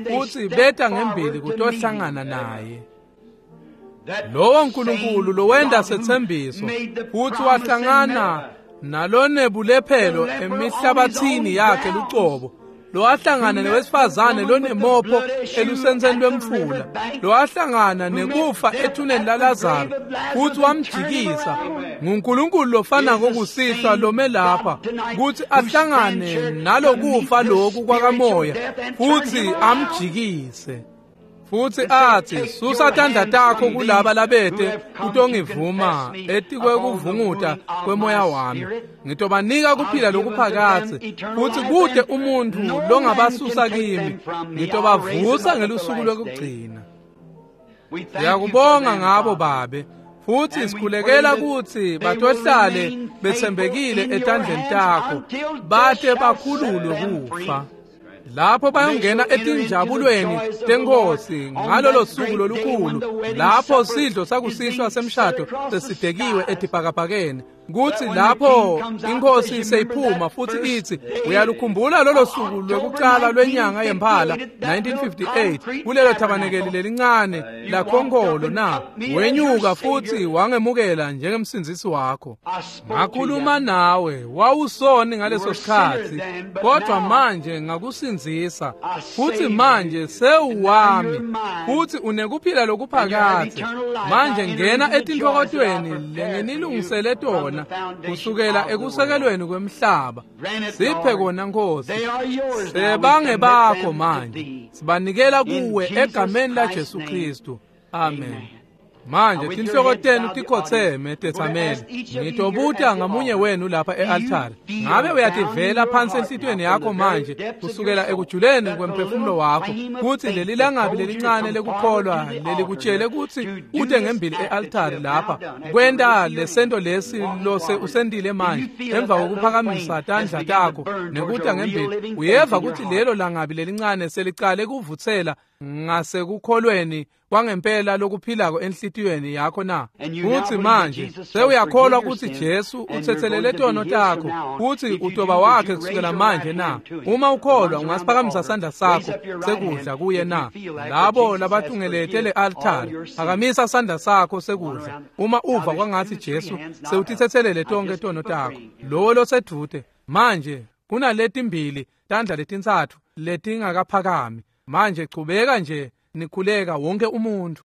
futhi beta ngembili kutohlangana naye. Lowo Nkulunkulu lowenta setsembiso futhi wahlangana nalonebulephelo emihlabathini yakhe lucobo, lowahlangana newesifazane lonemopho elusentseni lwemfula, lowahlangana nekufa ethuneni laLazaro futhi wamjikisa, nguNkulunkulu lofanako kusihlwa lome lapha kutsi ahlangane nalokufa loku kwakamoya futhi amjikise. Futhi athi, susa tandla takho kulaba labete kutongivuma etikwekuvunguta kwemoya wami. Ngitobanika kuphila lokuphakadze, futhi kute umuntfu longabasusa kimi. Ngitobavusa ngelusuku lwekugcina. Siyakubonga ngabo Babe, futhi sikhulekela kutsi batohlale betsembekile etandleni takho, bate bakhululwe kufa. Lapho bayongena etinjabulweni tenkosi ngalolo suku lolukhulu, lapho sidlo sakusihlwa semshado sesibekiwe etibhakabhakeni, kutsi lapho inkosi seyiphuma futhi itsi, uyalukhumbula lolo suku lwekucala lwenyanga yemphala 1958 kulelo thabanekeli lelincane lakhonkolo na? Wenyuka futhi wangemukela njengemsindzisi wakho. Ngakhuluma nawe, wawusoni ngaleso sikhatsi, kodwa manje ngakusindzisa, futhi manje sewuwami, futhi unekuphila lokuphakadze. Manje ngena etintfokotweni lenginilungisele tona khona kusukela ekusekelweni kwemhlaba. Siphe kona, Nkosi. Sebange bakho manje, sibanikela kuwe egameni laJesu Kristu. Amen. Manje tinhloko tenu tikhotseme, tetsameli. Ngitobuta ngamunye wenu lapha e-altare, ngabe uyativela phansi enhlitiyweni yakho manje, kusukela ekujuleni kwemphefumulo wakho, kutsi leli langabi lelincane lekukholwa lelikutshele kutsi ute ngembili e-altare lapha kwenta lesento lesi lose usentile manje, emva kokuphakamisa tandla takho nekuta ngembili, uyeva kutsi lelo langabi lelincane selicale kuvutsela ngasekukholweni kwangempela lokuphilako enhlitiyweni yakho na? Kutsi manje sewuyakholwa kutsi Jesu utsetselele tono takho, kutsi utoba wakhe kusukela manje na? Uma ukholwa, ungasiphakamisa sandla sakho sekudla kuye na? Labo labatungelete le-altare, phakamisa sandla sakho sekudla uma uva kwangatsi Jesu sewutitsetselele tonkhe tono takho. Lowo losedvute manje, kunaletimbili tandla letintsatfu letingakaphakami. Manje chubeka nje nikhuleka, wonke umuntu.